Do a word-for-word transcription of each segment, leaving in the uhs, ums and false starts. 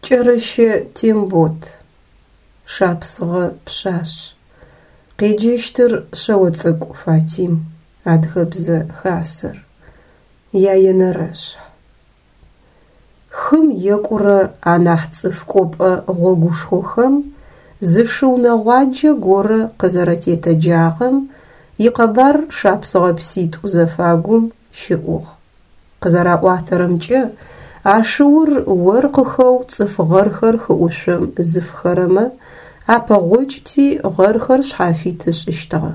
Кӏэрэщэ Тембот. Шапсыгъэ пшъашъ. Къеджэщтыр Шъэоцӏыкӏу Фатим, Адыгэбзэ Хасэр. Яенэрэшъхь. Хым екӏурэ анахь цӏыф кӏопӏэ гъогушхохэм зы шыу нэгъуаджэ горэ къызэрэтетэджагъэм икъэбар шапсыгъэ пситӏу зэфагум щыӏугъ. Къызэраӏуатэрэмкӏэ, а шыур оркъыхэу цӏыф гъэрхэр хыӏушъом зыфхэрэмэ апэгъокӏти гъэрхэр шъхьафит ышӏыщтыгъэ.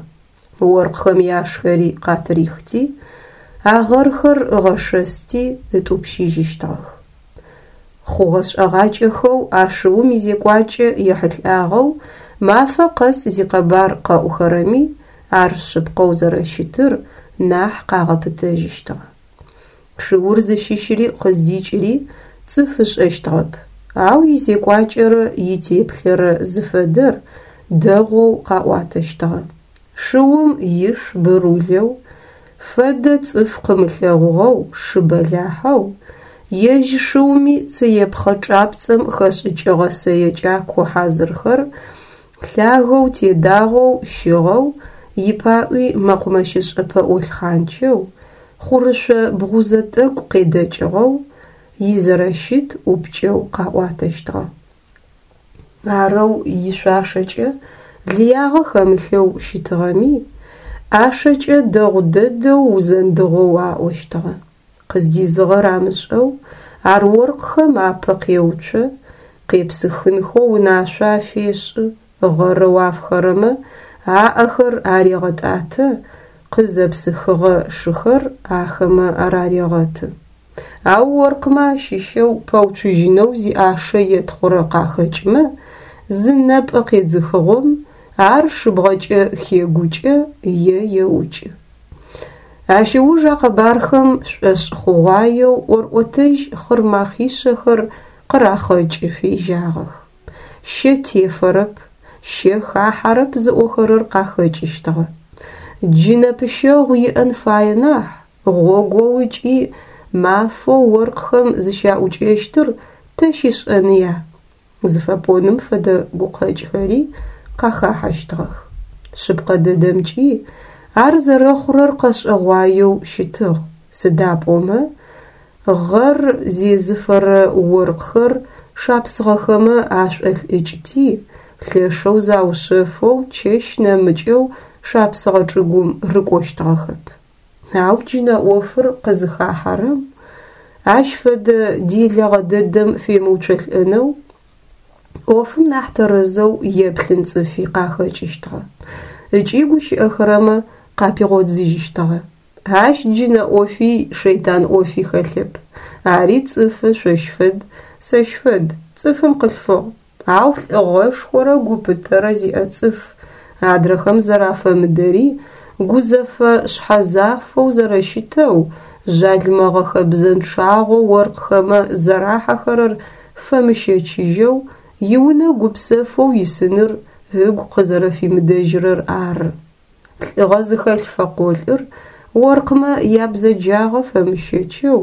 Оркъхэм яшхэри къатырихти, а гъэрхэр ыгъэшэсти ытӏупщыжьыщтыгъэх. Хъугъэ-шӏэгъакӏэхэу а шыум изекӏуакӏэ ехьылӏагъэу мафэ къэс зикъэбар къэӏухэрэми ар шъыпкъэу зэрэщытыр нахь къагъэпытэжьыщтыгъэ. Шыур зыщыщри къыздикӏыри цӏыф ышӏэщтыгъэп, ау изекӏуакӏэрэ итеплъэрэ зыфэдэр дэгъоу къаӏуатэщтыгъэ. Шыум иш бырулэу, фэдэ цӏыф къымылъэгъугъэу шы бэлахьэу, ежь шыуми цыепхъэ чӏапцӏэм хэшӏыкӏыгъэ сэе кӏако хьазырхэр лъагэу тедагъэу щыгъэу, ипаӏуи мэкъумэщышӏэ пэӏо лъхъанчэу, хъурышъо бгъузэ тӏэкӏу къедэкӏыгъэу, изэрэщыт ӏупкӏэу къаӏуатэщтыгъэ. Арэу ишъуашэкӏэ лыягъэ хэмылъэу щытыгъэми, ӏашэкӏэ дэгъу дэдэу узэндыгъэу аӏощтыгъэ. Къыздизыгъэр амышӏэу ар оркъхэм апэ къеуцо, къепсыхынхэу унашъо афешӏы, гъэрэу афхэрэмэ аӏэхэр арегъэтӏатэ, къызэпсыхыгъэ шыхэр ахэмэ арарегъэты. Ау оркъмэ ащыщэу пэуцужьынэу зиӏашэ етхъурэ къахэкӏымэ, зы нэпӏэ къедзыхыгъом ар шыбгъэкӏэ хегукӏэ е еукӏы. Ащ ыуж а къэбархэм шӏошӏ хъугъуаеу ӏорӏотэжь хъырмахъишъэхэр къырахъэкӏы фежьагъэх. Щэ тефэрэп, щэ хахьэрэп зыӏохэрэр къахэкӏыщтыгъэ. Джы нэпыщэгъу иӏэн фае нахь, гъогоу ыкӏи мафэу оркъхэм зыщаӏукӏэщтыр тэ щишӏэныя? Зыфэпӏоным фэдэ гукъэкӏхэри къахахьэщтыгъэх. Шъыпкъэ дэдэмкӏи ар зэрэхъурэр къэшӏэгъуаеу щытыгъ, сыда пӏомэ гъэр зезыфэрэ оркъхэр шапсыгъэхэмэ ашӏолӏыкӏти, лъэшэу заушъэфэу чэщ нэмыкӏэу шапсыгъэ чӏыгум рыкӏощтыгъэхэп. Ау джынэ ӏофыр къызыхахьэрэм, ащ фэдэ делэгъэ дэдэм фемыуцолӏэнэу ӏофым нахь тэрэзэу еплъын цӏыфи къахэкӏыщтыгъэ. Ыкӏи гущыӏэхэрэмэ къапигъодзыжьыщтыгъэ. Ащ джынэ ӏофи шэйтан ӏофи хэлъэп. Ари цӏыфы шъощ фэд, сэщ фэд, цӏыфым къылъфыгъ. Ау лӏыгъэшхорэ гупытэрэ зиӏэ цӏыф, адрэхэм зэрафэмыдэри гузэфэ шъхьэзафэу зэрэщытэу, жъалымэгъэ хэбзэнчъагъэу оркъхэмэ зэрахьэхэрэр фэмыщэчыжьэу, иунэ гупсэфэу исыныр ыгу къызэрэфимыдэжьырэр ары. Лӏыгъэ зыхэлъ фэкъолӏыр оркъмэ ябзэджагъэ фэмыщэчэу,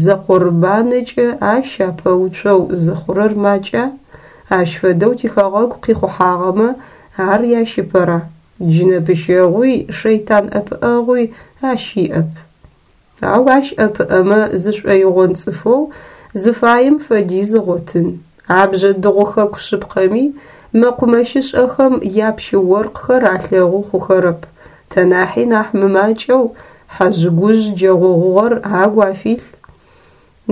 зэкъорыбанэкӏэ ащ апэуцоу зыхъурэр макӏа? Ащ фэдэу тихэгъэгу къихъухьагъэмэ ар ящыпэра? Джы нэпыщэгъуи шэйтан ӏэпыӏэгъуи ащ иӏэп. Ау ащ ӏэпыӏэмэ зышӏоигъон цӏыфэу зыфаем фэдиз ыгъотын. А бжъэдыгъу хэку шъыпкъэми мэкъумэщышӏэхэм япщы оркъхэр алъэгъу хъухэрэп, тэ нахьи нахь мымакӏэу хьэжъ-гужъ джэгъогъугъэр агу афилъ.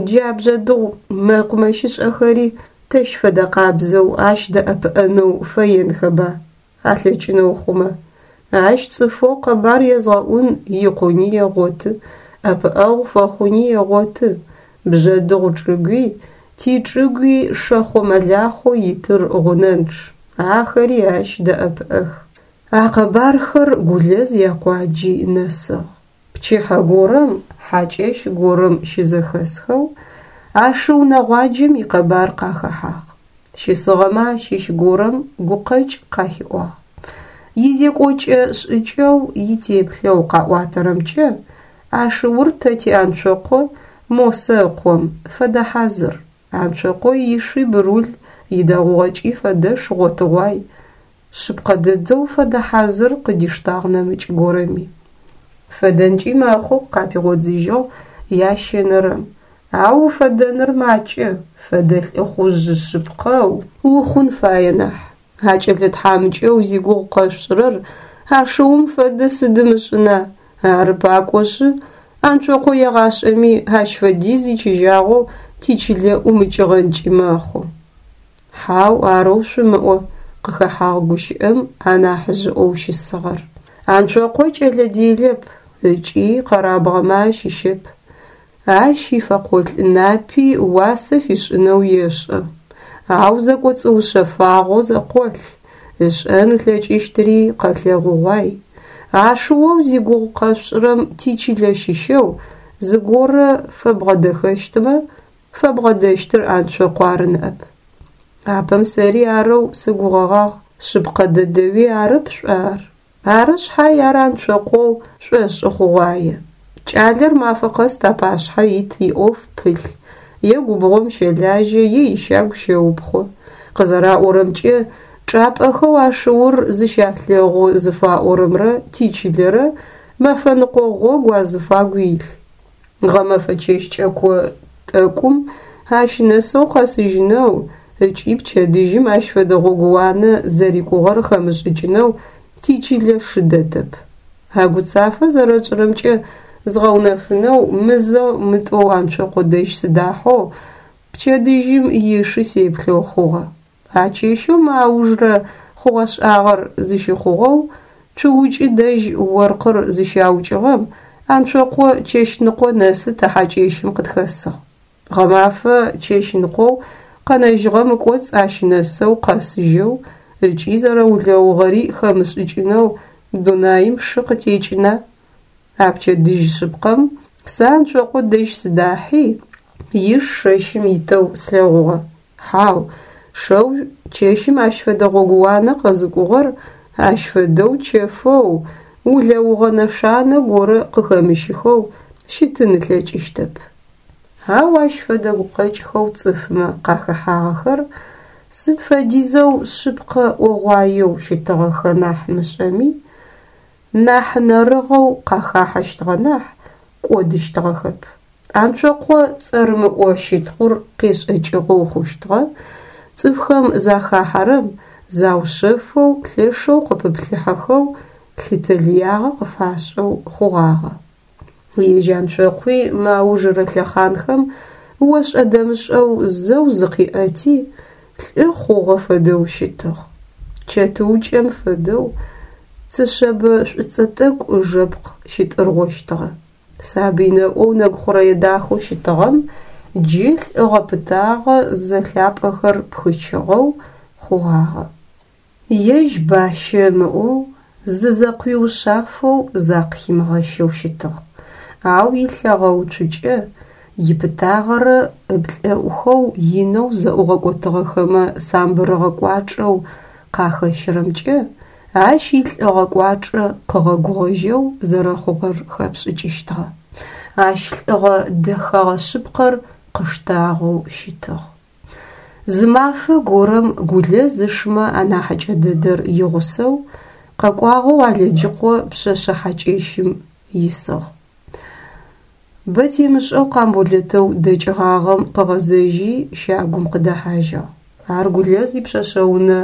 Джа бжъэдыгъу мэкъумэщышӏэхэри тэщ фэдэ къабзэу ащ дэӏэпыӏэнэу фэенхэба, алъэкӏынэу хъумэ. Ащ цӏыфэу къэбар езгъэӏун икъуни егъоты, ӏэпыӏэгъу фэхъуни егъоты. Бжъэдыгъу чӏыгуи, тичӏыгуи шэхъо-мэлахъоу итыр гъунэнчъ, ахэри ащ дэӏэпыӏэх. А къэбархэр Гулэз якъуаджи нэсыгъ. Пчыхьэ горэм, хьакӏэщ горэм щызэхэсхэу, а шыу нэгъуаджэм икъэбар къахэхьагъ. Щысыгъэмэ ащыщ горэм гукъэкӏ къахиӏуагъ. Изекӏокӏэ шӏыкӏэу, итеплъэу къаӏуатэрэмкӏэ а шыур тэ ти Анцокъо Мосэ ыкъом фэдэ хьазыр. Анцокъо иши бырул идэгъугъэкӏи фэдэш гъотыгъуай. Шъыпкъэ дэдэу фэдэ хьазыр къыдиштагъ нэмыкӏ горэми. Фэдэнкӏи мэхъу, къапигъодзыжьыгъ ящэнэрэм. Ау уфэдэныр макӏэ, фэдэ лӏыхъужъ шъыпкъэу ухъун фае нахь. А кӏэлэ тхьамыкӏэу зигугъу къэшъушӏырэр а шыум фэдэ сыдым ышӏына, ары пакӏошъы, Анцокъо егъашӏэми ащ фэдиз ичыжьагъэу тичылэ ӏумыкӏыгъэнкӏи мэхъу. Хьау, арэу шъумыӏо, къыхэхьагъ гущыӏэм анахьыжъыӏоу щысыгъэр. Анцокъо кӏэлэ делэп ыкӏи къэрабгъэмэ ащыщэп. Ащ ифэкъолӏ напи уасэ фишӏынэу ешӏэ, ау зэкӏоцӏыушъэфагъэу зэкъолъ, ышӏэн ылъэкӏыщтыри къэлъэгъугъуай. А шыоу зигугъу къэшъушӏырэм тичылэ щыщэу зыгорэ фэбгъэдэхэщтмэ, фэбгъэдэщтыр Анцокъу ары ныӏэп. Апэм сэри арэу сыгугъэгъагъ, шъыпкъэ дэдэуи арэп шӏуа ар? Ары шъхьай ар Анцокъоу шӏошӏы хъугъуае. Кӏалэр мафэ къэс тапашъхьэ ит иӏоф пылъ, е губгъом щэлажьэ, е ищагу щэупхъо. Къызэраӏорэмкӏэ, чӏапӏэхэу а шыур зыщалъэгъу зыфаӏорэмрэ тичылэрэ мэфэныкъо гъогу азыфагу илъ. Гъэмэфэ чэщ кӏэко тӏэкӏум ащ нэсэу къэсыжьынэу ыкӏи пчэдыжьым ащ фэдэ гъогууанэ зэрикӏугъэр хэмышӏыкӏынэу тичылэ шы дэтэп. А гуцафэ зэрэтшӏырэмкӏэ згъэунэфынэу мызэу-мытӏоу Анцокъо дэжь сыдахьэу пчэдыжьым ишы сеплъэу хъугъэ. А чэщэу мы аужрэ хъугъэ-шӏагъэр зыщыхъугъэу цуукӏы дэжь оркъыр зыщаукӏыгъэм Анцокъо чэщныкъо нэсы тэ хьакӏэщым къытхэсыгъ. Гъэмафэ чэщныкъоу къэнэжьыгъэм ыкӏоцӏ ащ нэсэу къэсыжьэу ыкӏи зэрэулэугъэри хэмышӏыкӏынэу дунаим шы къытекӏына? А пчэдыжь шъыпкъэм сэ Анцокъо дэжь сыдахьи, иш шэщым итэу слъэгъугъэ. Хьау, шэу чэщым ащ фэдэ гъогууанэ къэзыкӏугъэр ащ фэдэу чэфэу, улэугъэ нэшанэ горэ къыхэмыщыхэу щытын ылъэкӏыщтэп. Ау ащ фэдэ гукъэкӏхэу цӏыфмэ къахэхьагъэхэр сыд фэдизэу шъыпкъэ ӏогъуаеу щытыгъэхэ нахь мышӏэми, нахь нэрыгъэу къахахьэщтыгъэ нахь, кӏодыщтыгъэхэп. Анцокъо цӏэрымыӏо щытхъур къешӏэкӏыгъэу хъущтыгъэ, цӏыфхэм захахьэрэм заушъэфэу, лъэшэу къыпыплъыхьэхэу, лъытэ лыягъэ къыфашӏэу хъугъагъэ. Ежь Анцокъуи мы аужрэ лъэхъанхэм ошӏэ-дэмышӏэу зэу зыкъиӏэти, лӏы хъугъэ фэдэу щытыгъ. Чэтыукӏэм фэдэу цы шъэбэ шӏуцӏэ тӏэкӏу ыжэпкъ щытӏыргъощтыгъэ. Сабый нэӏоу нэгу хъурэе дахэу щытыгъэм джы лӏыгъэ-пытагъэ зэлъапӏэхэр пхычыгъэу хъугъагъэ. Ежь бащэ ымыӏоу, зызэкъуиушъафэу закъыхимыгъэщэу щытыгъ, ау илъэгъэуцукӏэ, ипытагъэрэ ыплӏэӏухэу инэу зэӏугъэкӏотыгъэхэмэ самбырыгъэ кӏуачӏэу къахэщырэмкӏэ ащ илӏыгъэ кӏуачӏэ къыгъэгугъэжьэу зэрэхъугъэр хэпшӏыкӏыщтыгъэ. Ащ лӏыгъэ дэхэгъэ шъыпкъэр къыштагъэу щытыгъ. Зы мафэ горэм Гулэз ышмэ анахьыкӏэ дэдэр игъусэу къэкӏуагъэу Алэджыкъо пшъэшъэ хьакӏэщым исыгъ. Бэ темышӏэу Къамболэтэу дэкӏыгъагъэм къыгъэзэжьи щагум къыдэхьажьыгъ. Ар Гулэз ипшъэшъэунэ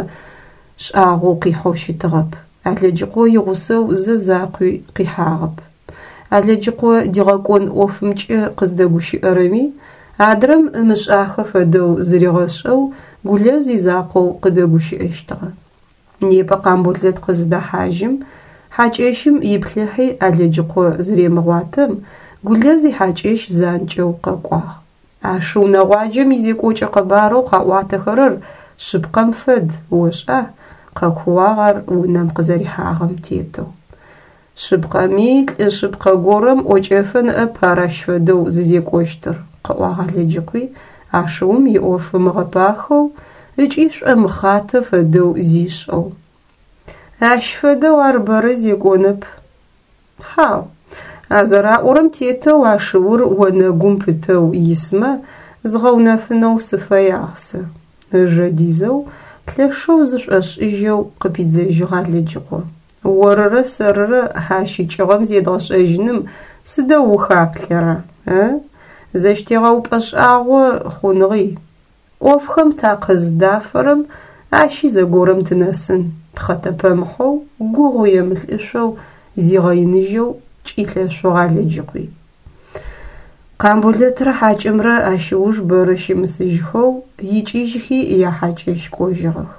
шӏагъоу къихьэу щытыгъэп. Алэджыкъо игъусэу зэ закъуи къихьагъэп. Алэджыкъо дигъэкӏон ӏофымкӏэ къыздэгущыӏэрэми, адрэм ымышӏахэ фэдэу зыригъэшӏэу Гулэз изакъоу къыдэгущыӏэщтыгъэ. Непэ Къамболэт къызыдэхьажьым, хьакӏэщым иплъыхьи Алэджыкъо зыремыгъуатэм, Гулэз ихьакӏэщ занкӏэу къэкӏуагъ. А шыу нэгъуаджэм изекӏокӏэ къэбарэу къаӏуатэхэрэр шъыпкъэм фэд, ошӏа? Къэкууагъ ар унэм къызэрихьагъэм тетэу. Шъыпкъэми, лӏы шъыпкъэ горэм ӏокӏэфэ ныӏэп ар ащ фэдэу зызекӏощтыр, къыӏуагъ Алэджыкъуи, а шыум иӏоф ымыгъэпахэу ыкӏи шӏомыхъатэ фэдэу зишӏэу. Ащ фэдэу ар бэрэ зекӏонэп. Хьау, а зэраӏорэм тетэу а шыур онэгум пытэу исмэ, Згъэунэфынэу сыфэягъ сэ, ыжэ дизэу, лъэшэу зышӏошӏыжьэу къыпидзэжьыгъ Алэджыкъо. Орырэ сэрырэ а щыкӏыгъэм зедгъэшӏэжьыным сыдэу ухаплъэра, ы? Зэщтегъэупӏэ шӏагъо хъуныгъи. Ӏофхэм такъыздафэрэм ащи зэгорэм тынэсын, пхъэтэпэмыхьэу, гугъу емылӏышъоу, зигъэиныжьэу кӏилъэшъугъ Алэджыкъуи. Къамболэтрэ хьакӏэмрэ ащ ыуж бэрэ щымысыжьхэу икӏыжьхи яхьакӏэщ кӏожьыгъэх.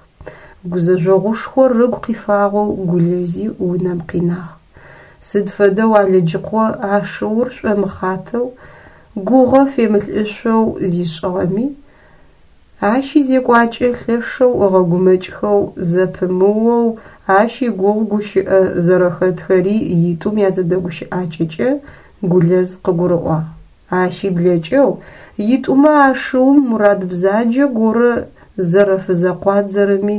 Гузэжъогъушхор ыгу къифагъэу Гулэзи унэм къинагъ. Сыд фэдэу Алэджыкъо а шыур шӏомыхъатэу, гугъэ фемылӏышъоу зишӏыгъэми, ащ изекӏуакӏэ лъэшэу ыгъэгумэкӏхэу зэпымыоу ащ игугъу гущыӏэ зэрэхэтхэри итӏум язэдэгущыӏакӏэкӏэ Гулэз къыгурыӏуагъ. Ащи блэкӏэу итӏумэ а шыум мурад бзаджэ горэ зэрэфызэкъуадзэрэми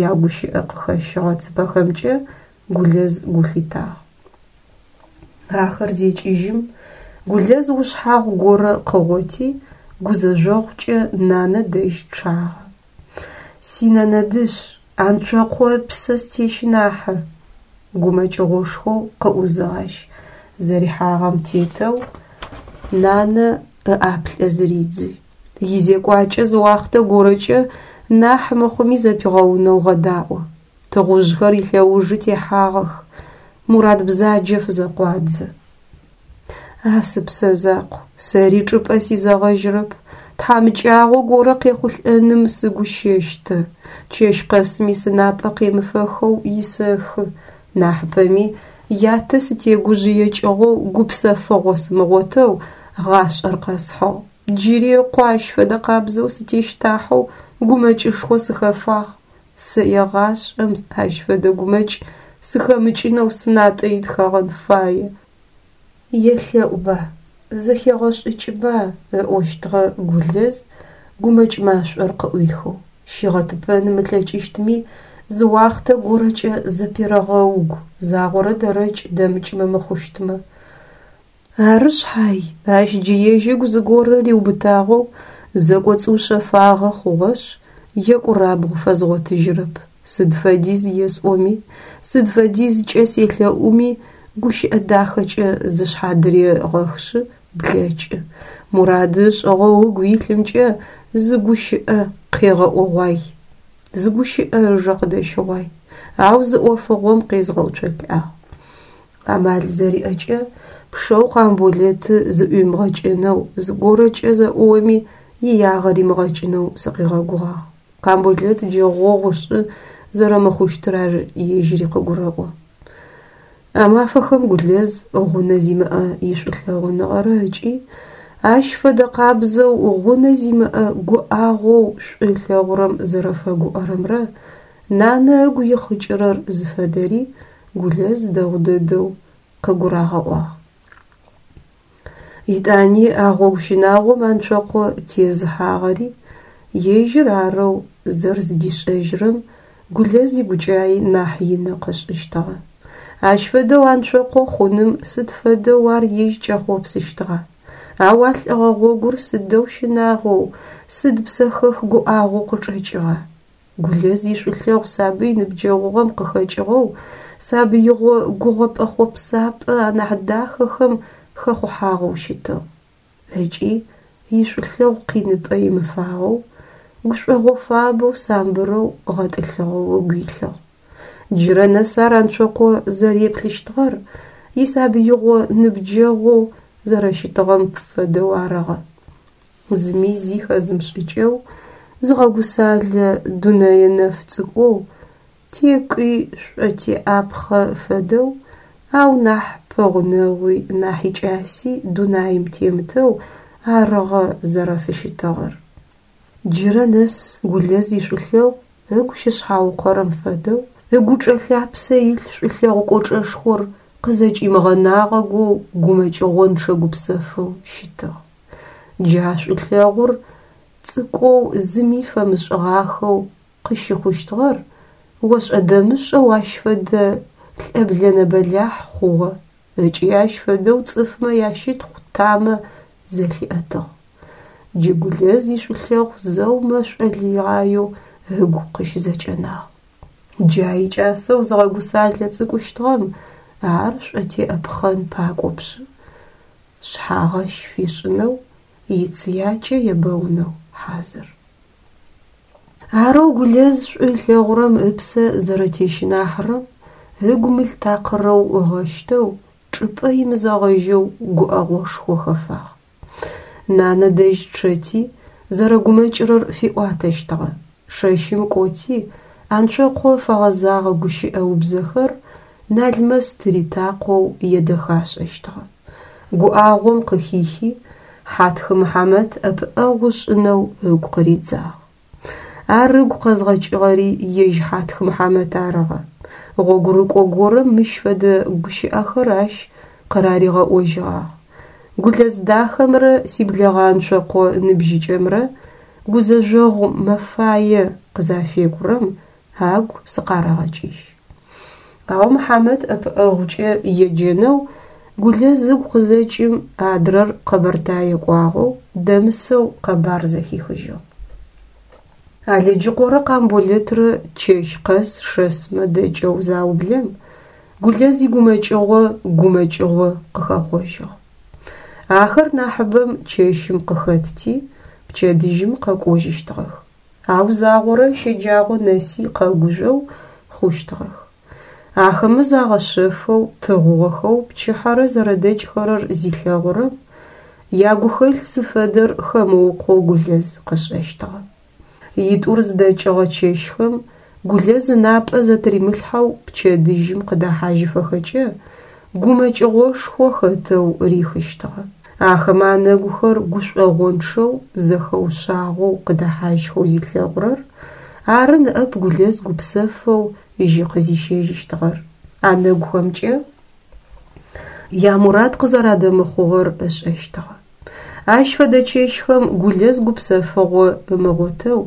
ягущыӏэ къыхэщыгъэ цыпэхэмкӏэ Гулэз гу лъитагъ. Ахэр зекӏыжьым Гулэз ушъхьагъу горэ къыгъоти, гузэжъогъукӏэ нанэ дэжь чъагъэ. Синэнэ дышъ, Анцокъо ыпсэ стещынахьы! Гумэкӏыгъошхоу къыӏузыгъ ащ, зэрихьагъэм тетэу нанэ ыӏаплӏэ зыридзи. Изекӏуакӏэ зы уахътэ горэкӏэ нахь мыхъуми зэпигъэунэу гъэдаӏо. Тыгъужъхэр илъэужы техьагъэх, мурад бзаджэ фызэкъуадзэ. А сыпсэ закъу, сэри чӏыпӏэ сизэгъэжьырэп, тхьамыкӏагъо горэ къехъулӏэным сыгу щэщтэ, чэщ къэсми сынапӏэ къемыфэхэу исэхы, нахьыпэми ятэ сытегужъыекӏыгъэу гупсэфыгъо сымыгъотэу гъашӏэр къэсхьыгъ. Джыри ыкъо ащ фэдэ къабзэу сытещтахьэу гумэкӏышхо сыхэфагъ. Сэ егъашӏэм ащ фэдэ гумэкӏ сыхэмыкӏынэу сынатӏэ итхэгъэн фае. Елъэӏуба, зэхегъэшӏыкӏба, ыӏощтыгъэ Гулэз гумэкӏ машӏор къыӏуихэу. Щигъэтыпэным ылъэкӏыщтми, зы уахътэ горэкӏэ зэперэгъэугу, загъорэ дэрэкӏ дэмыкӏмэ мыхъущтмэ. Ары шъхьай, ащ джы ежь ыгу зыгорэ риубытагъэу зэкӏоцӏыушъэфагъэ хъугъэшъ, екӏурабгъу фэзгъотыжьырэп. Сыд фэдиз есӏоми, сыд фэдизкӏэ селъэӏуми, гущыӏэ дахэкӏэ зышъхьадырегъэхышъ блэкӏы. Мурады ышӏыгъэу ыгу илъымкӏэ зы гущыӏэ къегъэӏогъуай, зы гущыӏэ ыжэ къыдэщыгъуай, ау зы ӏофыгъом къезгъэуцолӏагъ. Амал зэриӏэкӏэ пшэу Къамболэты зыӏуимыгъэкӏэнэу, зыгорэкӏэ зэӏуоми иягъэ римыгъэкӏынэу сыкъигъэгугъагъ. Къамболэт джэгъогъу ышӏы зэрэмыхъущтыр ар ежьыри къыгурэӏо. А мафэхэм Гулэз гъунэ зимыӏэ ишӏулъэгъуныгъэрэ ыкӏи ащ фэдэ къабзэу гъунэ зимыӏэ гуӏагъоу шӏу ылъэгъурэм зэрэфэгуӏэрэмрэ нанэ ыгу ихъыкӏырэр зыфэдэри Гулэз дэгъу дэдэу къыгурагъэӏуагъ. Итӏани а гъогу щынагъом Анцокъо тезыхьагъэри ежьыр арэу зэрэзыдишӏэжьырэм Гулэз игукӏаи нахь ины къышӏыщтыгъэ. Ащ фэдэу Анцокъо хъуным сыд фэдэу ар ежь кӏэхъопсыщтыгъа? Ау а лӏыгъэ гъогур сыдэу щынагъоу, сыд псэхэх гуӏагъоу къычӏэкӏыгъа? Гулэз ишӏулъэгъу сабый ныбджэгъугъэм къыхэкӏыгъэу, сабыигъо гугъэпӏэ-хъопсапӏэ анахь дахэхэм хэхъухьагъэу щытыгъ. Ыкӏи ишӏулъэгъу къиныпӏэ имыфагъэу, гушӏогъо фабэу самбырэу гъэтӏылъыгъэу ыгу илъыгъ. Джырэ нэс ар Анцокъо зэреплъыщтыгъэр исабыигъо ныбджэгъоу зэрэщытыгъэм фэдэу арыгъэ. Зыми зи хэзымышӏыкӏэу, зыгъэгусалэ дунэе нэф цӏыкӏоу, текӏуи шӏотеӏапхъэ фэдэу, ау нахь пэгъунэгъуи нахь икӏаси дунаим темытэу арыгъэ зэрэфыщытыгъэр. Джырэ нэс Гулэз ишӏулъэгъу ыгу щышъхьаукъэрэм фэдэу, ыгучӏэ лъапсэ илъ шӏулъэгъу кӏочӏэшхор къызэкӏимыгъэнагъэгоу гумэкӏыгъончъэ гупсэфэу щытыгъ. Джа шӏулъэгъур цӏыкӏоу зыми фэмышӏыгъахэу къыщыхъущтыгъэр ошӏэ-дэмышӏэу ащ фэдэ лӏэблэнэ бэлахь хъугъэ ыкӏи ащ фэдэу цӏыфмэ ящытхъу тамэ зэлъиӏэтыгъ. Джы Гулэз ишӏулъэгъу зэу мэшӏо лыгъаеу ыгу къыщызэкӏэнагъ. Джа икӏасэу зыгъэгусалэ цӏыкӏущтыгъэм ар шӏотеӏэпхъэн пакӏопшъы, шъхьагъэщ фишӏынэу, ицыякӏэ ебэунэу хьазыр. Арэу Гулэз шӏу ылъэгъурэм ыпсэ зэрэтещынахьырэм ыгу мыл такъырэу ыгъэщтэу, чӏыпӏэ имызэгъэжьэу гуӏэгъошхо хэфагъ. Нанэ дэжь чъэти, зэрэгумэкӏырэр фиӏуатэщтыгъэ. Шэщым кӏоти, Анцокъо фэгъэзагъэ гущыӏэ убзэхэр Налмэс тыритакъоу едэхашӏэщтыгъэ. Гуӏагъом къыхихи, Хьатх Мыхьамэт ӏэпыӏэгъу ышӏынэу ыгу къыридзагъ. Ар ыгу къэзгъэкӏыгъэри ежь Хьатх Мыхьамэт арыгъэ. Гъогурыкӏо горэм мыщ фэдэ гущыӏэхэр ащ къыраригъэӏожьыгъагъ: «Гулэз дахэмрэ сиблэгъэ Анцокъо ныбжьыкӏэмрэ гузэжъогъу мэфае къызафекӏурэм агу сыкъарэгъэкӏыжь». Ау Мыхьамэт ӏэпыӏэгъукӏэ еджэнэу Гулэз ыгу къызэкӏым, адрэр Къэбэртае кӏуагъэу, дэмысэу къэбар зэхихыжьыгъ. Алэджыкъорэ Къамболэтрэ чэщ къэс шэсмэ дэкӏэу заублэм, Гулэз игумэкӏыгъо гумэкӏыгъо къыхэхъожьыгъ. Ахэр нахьыбэм чэщым къыхэтти, пчэдыжьым къэкӏожьыщтыгъэх. Ау загъорэ щэджагъо нэси къэгужъоу хъущтыгъэх. Ахэмэ загъэшъэфэу, тыгъугъэхэу пчыхьэрэ зэрэдэкӏхэрэр зилъэгъурэм, ягухэлъ зыфэдэр хэмыукъоу Гулэз къышӏэщтыгъэ. Итӏур зыдэкӏыгъэ чэщхэм Гулэз ынапӏэ зэтыримылъхьэу пчэдыжьым къыдэхьажьыфэхэкӏэ гумэкӏыгъошхо хэтэу рихыщтыгъэ. Ахэмэ анэгухэр гушӏогъончъэу, зэхэушъагъэу къыдэхьажьхэу зилъэгъурэр ары ныӏэп Гулэз гупсэфэу жьы къызищэжьыщтыгъэр. Анэгухэмкӏэ ямурад къызэрадэмыхъугъэр ышӏэщтыгъэ. Ащ фэдэ чэщхэм Гулэз гупсэфыгъо ымыгъотэу,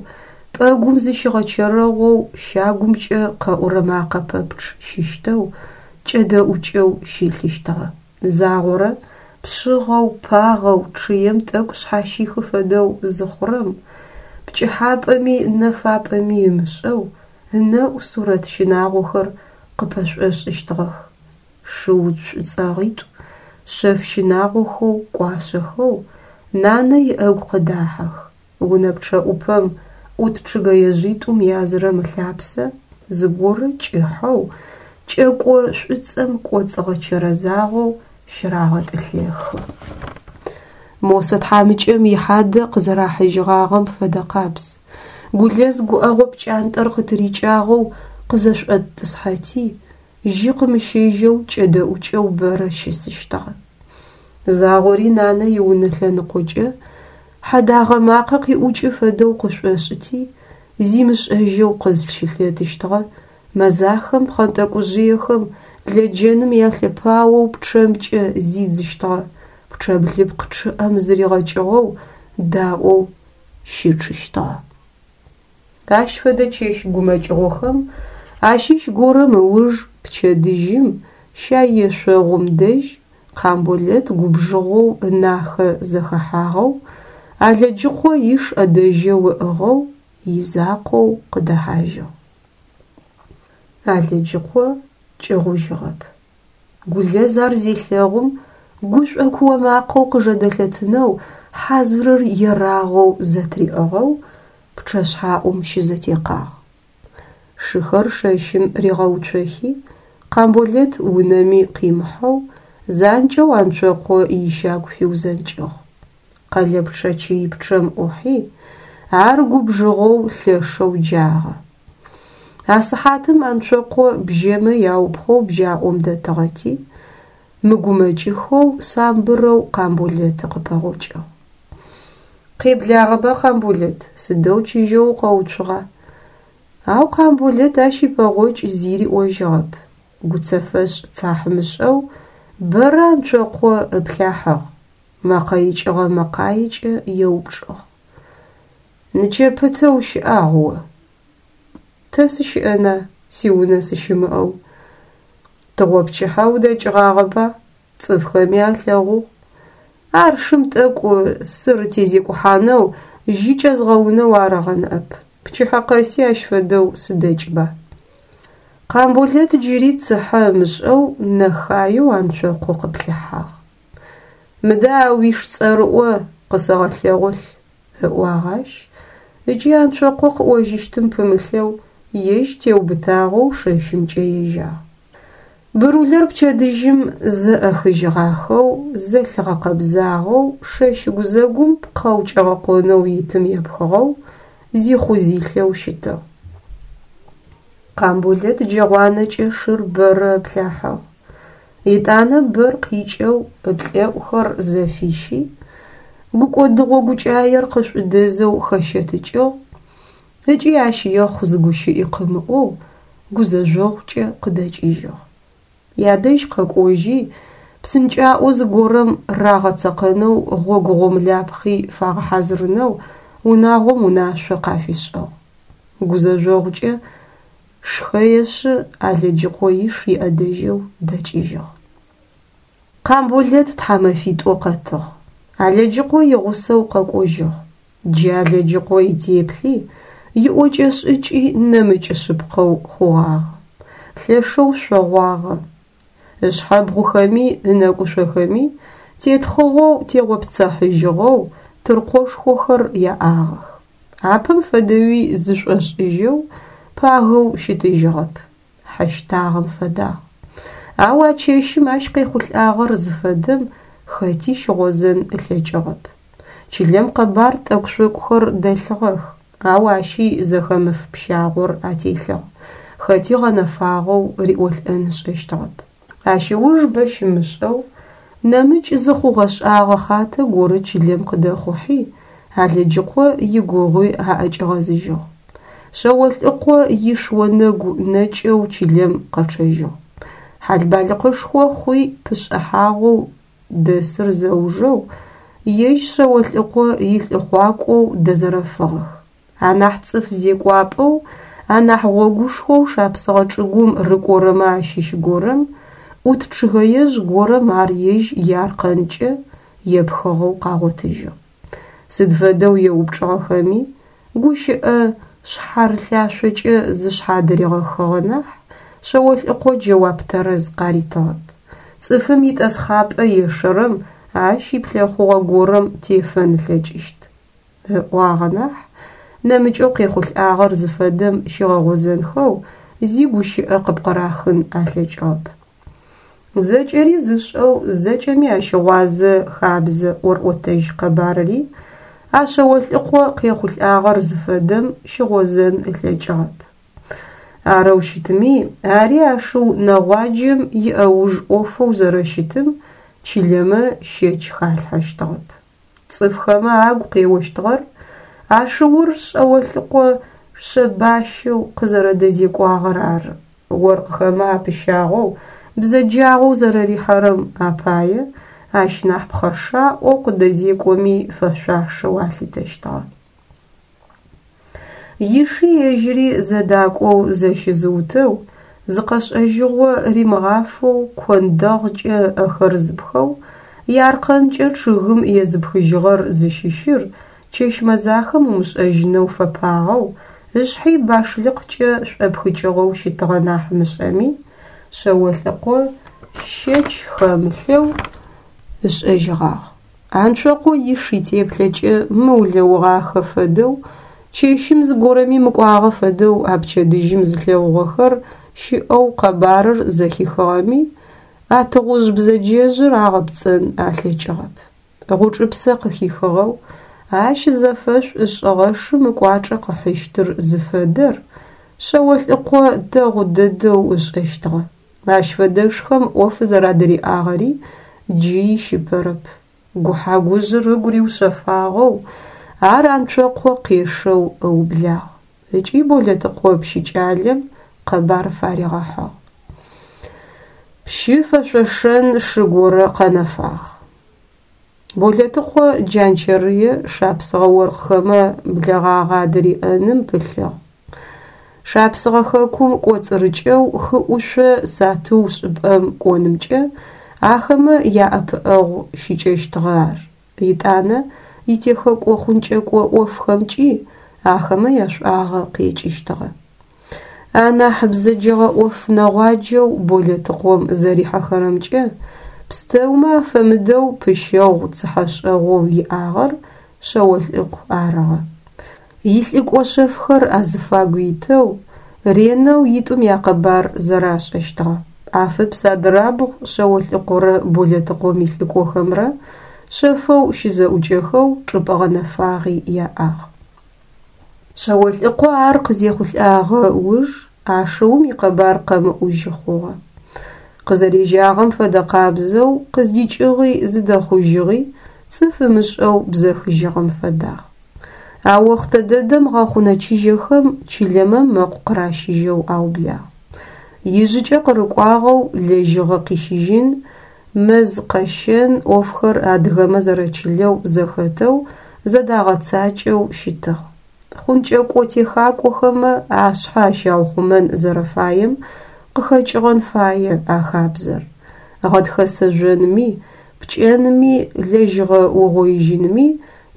пӏэгум зыщигъэчэрэгъоу, щагумкӏэ къэӏурэ макъэ пэпчъ щыщтэу, кӏэдэӏукӏэу щылъыщтыгъэ. Загъорэ пшъыгъэу, пагъэу, чъыем тӏэкӏу шъхьащихы фэдэу зыхъурэм, пкӏыхьапӏэми нэфапӏэми ымышӏэу, ынэӏу сурэт щынагъохэр къыпэшӏошӏыщтыгъэх. Шыу шӏуцӏэгъитӏу шъэф щынагъохэу кӏуашъэхэу нанэ иӏэгу къыдахьэх. Унэ пчъэӏупэм ӏут чъыгэежъитӏум язырэм ылъапсэ зыгорэ кӏыхьэу, кӏэко шӏуцӏэм кӏоцӏыгъэчэрэзагъэу щырагъэтӏылъэхы. Мосэ тхьамыкӏэм ихьадэ къызэрахьыжьыгъагъэм фэдэкъабз. Гулэз гуӏэгъо пкӏантӏэр къытырикӏагъэу къызэшӏотӏысхьэти, жьы къымыщэжьэу кӏэдэӏукӏэу бэрэ щысыщтыгъэ. Загъори нанэ иунэ лъэныкъокӏэ хьэдагъэ макъэ къиӏукӏы фэдэу къышӏошӏыти, зимышӏэжьэу къызщылъэтыщтыгъэ. Мэзахэм пхъэнтӏэкӏужъыехэм лэджэным ялъэпаоу пчъэмкӏэ зидзыщтыгъэ, пчъэблыпкъ чъыӏэм зыригъэкӏыгъэу даӏоу щычъыщтыгъэ. Ащ фэдэ чэщ гумэкӏыгъохэм ащыщ горэм ыуж пчэдыжьым щайешъогъум дэжь Къамболэт губжыгъэу ынахэ зэхэхьагъэу, Алэджыкъо иш ӏэдэжьэу ыӏыгъэу, изакъоу къыдэхьажьыгъ. Алэджыкъо кӏыгъужьыгъэп. Гулэз ар зелъэгъум, гушӏо куо макъэу къыжэдэлъэтынэу хьазырыр ерагъэу зэтыриӏыгъэу пчъэшъхьаӏум щызэтекъагъ. Шыхэр шэщым ригъэуцохи, Къамболэт унэми къимыхьэу, занкӏэу Анцокъо ищагу фиузэнкӏыгъ. Къэлэпчъэ чыипчъэм ӏухьи, ар губжыгъэу лъэшэу джагъэ. А сыхьатым Анцокъо бжьэмэ яупхъоу бжьаӏом дэтыгъэти, мыгумэкӏыхэу самбырэу Къамболэты къыпэгъокӏыгъ. Къеблагъэба, Къамболэт, сыдэу чыжьэу укъэуцугъа? Ау Къамболэт ащ ипэгъокӏ зи риӏожьыгъэп. Гуцэфэшӏ цахьымышӏэу бэрэ Анцокъо ыплъахьыгъ, мэкъэ икӏыгъэ мэкъаекӏэ еупчӏыгъ: «Нычэпэ тэ ущыӏагъ о?» «Тэ сыщыӏэна, сиунэ сыщымыӏэу?» «Тыгъопчыхьэ удэкӏыгъагъэба, цӏыфхэми алъэгъугъ». Ар шым тӏэкӏу сырытезекӏухьанэу, жьы кӏэзгъэунэу арыгъэ ныӏэп. Пчыхьэ къэси ащ фэдэу сыдэкӏба. Къамболэт джыри цыхьэ ымышӏэу нэхаеу Анцокъо къыплъыхьагъ. Мыдэ а уиш цӏэрыӏо къысэгъэлъэгъолъ, ыӏуагъ ащ, ыкӏи Анцокъо къыӏожьыщтым пымылъэу ежь теубытагъэу шэщымкӏэ ежьагъ. Бырулэр пчэдыжьым зэӏэхыжьыгъахэу, зэлъыгъэкъэбзагъэу, шэщ гузэгум пкъэу кӏэгъэкъонэу итым епхыгъэу, зихъу-зилъэу щытыгъ. Къамболэт джэгъуанэкӏэ шыр бэрэ ыплъахьыгъ. Етӏанэ бэр къикӏэу ыплӏэӏухэр зэфищи, гукӏодыгъо гукӏаер къышӏудэзэу хэщэтыкӏыгъ ыкӏи ащ ехъу зы гущыӏи къымыӏоу гузэжъогъукӏэ къыдэкӏыжьыгъ. Ядэжь къэкӏожьи, псынкӏаӏо зыгорэм рагъэцэкъэнэу гъогу гъомлапхъи фагъэхьазырынэу унагъом унашъо къафишӏыгъ. Гузэжъогъукӏэ шхэешъы Алэджыкъо иш иӏэдэжьэу дэкӏыжьыгъ. Къамболэт тхьамэфитӏо къэтыгъ. Алэджыкъо игъусэу къэкӏожьыгъ. Джы Алэджыкъо итеплъи, иӏокӏэ-шӏыкӏи нэмыкӏ шъыпкъэу хъугъагъэ. Лъэшэу шъогъуагъэ. Ышъхьэбгъухэми ынэкӏушъохэми тетхъыгъэу тегъопцэхьыжьыгъэу тыркъошхохэр яӏагъэх. Апэм фэдэуи зышӏошӏыжьэу, пагэу щытыжьыгъэп. Хьэ щтагъэм фэдагъ. Ау а чэщым ащ къехъулӏагъэр зыфэдэм хэти щыгъозэн ылъэкӏыгъэп. Чылэм къэбар тӏэкӏу-шъокӏухэр дэлъыгъэх, ау ащи зэхэмыф пщагъор ателъыгъ. Хэти гъэнэфагъэу риӏолӏэн ышӏэщтыгъэп. Ащ ыуж бэ щымышӏэу, нэмыкӏ зы хъугъэ-шӏагъэ хъатэ горэ чылэм къыдэхъухьи, Алэджыкъо игугъуи аӏэкӏигъэзыжьыгъ. Шъэолӏыкъо иш онэгу нэкӏэу чылэм къэчъэжьыгъ. Хьалбалыкъышхо хъуи пышӏыхьагъэу дэсыр зэужэу, ежь Шъэолӏыкъо илӏыхъуакӏоу дэзэрэфыгъэх. Анахь цӏыф зекӏуапӏэу, анахь гъогушхоу шапсыгъэ чӏыгум рыкӏорэмэ ащыщ горэм, ӏут чъыгэежъ горэм ар ежь иаркъэнкӏэ епхыгъэу къагъотыжьыгъ. Сыд фэдэу еупчӏыгъэхэми, гущыӏэ шъхьарылъашъокӏэ зышъхьадыригъэхыгъэ нахь, Шъэолӏыкъо джэуап тэрэз къаритыгъэп. Цӏыфым итӏэсхъапӏэ ешэрэм ащ иплъэхъугъэ горэм тефэн ылъэкӏыщт, ыӏуагъэ нахь, нэмыкӏэу къехъулӏагъэр зыфэдэм щигъэгъозэнхэу зи гущыӏэ къыпкъырахын алъэкӏыгъэп. Зэкӏэри зышӏэу, зэкӏэми ащыгъуазэ хабзэ ӏорӏотэжь къэбарыри а Шъэолӏыкъо къехъулӏагъэр зыфэдэм щыгъозэн ылъэкӏыгъэп. Арэу щытми, ари а шыу нэгъуаджэм иӏэуж ӏофэу зэрэщытым чылэмэ щэч халъхьэщтыгъэп. Цӏыфхэмэ агу къеощтыгъэр а шыур Шъэолӏыкъо шъэбащэу къызэрэдэзекӏуагъэр ары. Оркъхэмэ апыщагъэу, бзэджагъэу зэрэрихьэрэм апае ащ нахь пхъэшаӏоу къыдэзекӏоми фэшъуашэу алъытэщтыгъэ. Иши ежьыри зэдакӏоу зэщызыутэу, зыкъэшӏэжьыгъо римыгъафэу кондэгъкӏэ ыӏэхэр зыпхэу, иаркъэнкӏэ чъыгым езыпхыжьыгъэр зыщыщыр чэщ мэзахэм умышӏэжьынэу фэпагъэу, ышъхьи башлыкъкӏэ шӏопхыкӏыгъэу щытыгъэ нахь мышӏэми, Шъэолӏыкъо щэч хэмылъэу ышӏэжьыгъагъ. Анцокъо иш итеплъэкӏэ мыулэугъахэ фэдэу, чэщым зыгорэми мыкӏуагъэ фэдэу а пчэдыжьым зылъэгъугъэхэр щыӏэу къэбарыр зэхихыгъэми, а тыгъужъ бзэджэжъыр агъэпцӏэн алъэкӏыгъэп. Гъучӏыпсэ къыхихыгъэу, ащ зэфэшӏу ышӏыгъэ шым ыкӏуачӏэ къыхьыщтыр зыфэдэр Шъэолӏыкъо дэгъу дэдэу ышӏэщтыгъэ. Ащ фэдэшхэм ӏоф зэрадыриӏагъэри джы ищыпэрэп. Гухьагужъыр ыгу риушъэфагъэу, ар Анцокъо къешэу ыублагъ. Ыкӏи Болэтыкъо пщыкӏалэм къэбар фаригъэхьыгъ. Пщы фэшъошэн шы горэ къэнэфагъ. Болэтыкъо Джанчэрые шапсыгъэ оркъхэмэ блэгъагъэ адыриӏэным пылъыгъ. Шапсыгъэ хэкум кӏоцӏырыкӏэу хы ӏушъо сатыу шӏыпӏэм кӏонымкӏэ Ахэмэ яӏэпыӏэгъу щыкӏэщтыгъэ ар. Етӏанэ итехэкӏо-хъункӏэкӏо ӏофхэмкӏи ахэмэ яшӏуагъэ къекӏыщтыгъэ. Анахь бзэджэгъэ ӏоф нэгъуаджэу Болэтыкъом зэрихьэхэрэмкӏэ пстэумэ афэмыдэу пыщэгъу цыхьэшӏэгъоу иӏагъэр Шъэолӏыкъу арыгъэ. Илӏыкӏо шъэфхэр азыфагу итэу, ренэу итӏум якъэбар зэрашӏэщтыгъэ. Афыпс адырабгъу Шъэолӏыкъурэ Болэтыкъом илӏыкӏохэмрэ шъэфэу щызэӏукӏэхэу чӏыпӏэ гъэнэфагъи яӏагъ. Шъэолӏыкъо ар къызехъулӏагъэ уж ашыум икъэбар къэмыӏужьы хъугъэ. Къызэрежьагъэм фэдэкъабзэу къыздикӏыгъи зыдэхъужьыгъи цӏыф ымышӏэу бзэхыжьыгъэм фэдагъ. А охътэ дэдэм гъэхъунэ чыжьэхэм чылэмэ мэкъу къыращыжьэу аублагъ. Ижъыкӏэ къырыкӏуагъэу лэжьыгъэ къищыжьын, мэз къэщэн ӏофхэр адыгэмэ зэрэчылэу зэхэтэу зэдагъэцакӏэу щытыгъ. Хъункӏэкӏо-техакӏохэмэ ашъхьэ ащаухъумэн зэрэфаем къыхэкӏыгъэн фае а хабзэр. Гъэтхэсэ жъонми, пкӏэнми, лэжьыгъэ угъоижьынми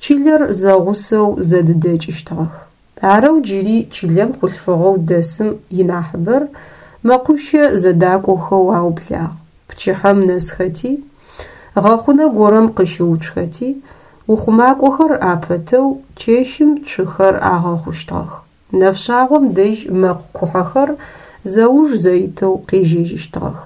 чылэр зэгъусэу зэдыдэкӏыщтыгъэх. Арэу джыри чылэм хъулъфыгъэу дэсым инахьыбэр мэкъущэ зэдакӏохэу аублагъ. Пчыхьэм нэсхэти, гъэхъунэ горэм къыщыуцухэти, ухъумакӏохэр апэтэу чэщым цухэр агъэхъущтыгъэх. Нэфшъагъом дэжь мэкъу кухьэхэр зэуж зэитэу къежьэжьыщтыгъэх.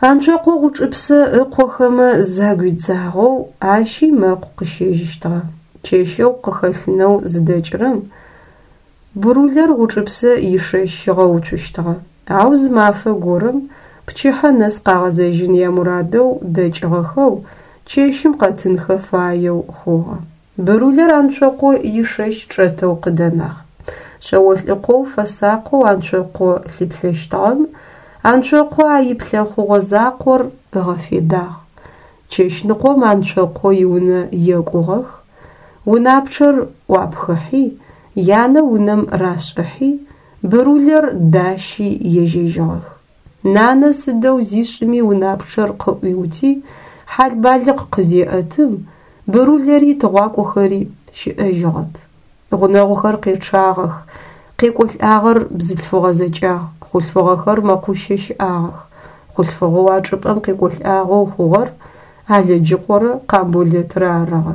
Анцокъо Гъучӏыпсэ ыкъохэмэ загуидзагъэу ащи мэкъу къыщэжьыщтыгъэ. Чэщэу къыхэлъынэу зыдэкӏырэм Бурулэр Гъучӏыпсэ ишэщ щигъэуцущтыгъэ. Ау зы мафэ горэм пчыхьэ нэс къагъэзэжьын ямурадэу дэкӏыгъэхэу чэщым къэтынхэ фаеу хъугъэ. Бурулэр Анцокъо ишэщ чӏэтэу къыдэнагъ. Шъэолӏыкъоу фэсакъэу Анцокъо лъыплъэщтыгъэм Анцокъо а иплъэхъугъо закъор ыгъэфедагъ. Чэщныкъом Анцокъо иунэ екӏугъэх, унапчъэр ӏуапхыхьи, янэ унэм рашӏыхьи, Бурулэр дащи ежьэжьыгъэх. Нанэ сыдэу зишӏыми унапчъэр къыӏуиути, хьал-балыкъ къызеӏэтым, Бурулэри тыгъуакӏохэри щыӏэжьыгъэп. Гъунэгъухэр къечъагъэх, къекӏолӏагъэр бзылъфыгъэ зэкӏагъ, хъулъфыгъэхэр мэкъущэ щыӏагъэх. Хъулъфыгъэу а чӏыпӏэм къекӏолӏагъэу хъугъэр Алэджыкъорэ Къамболэтрэ арыгъэ.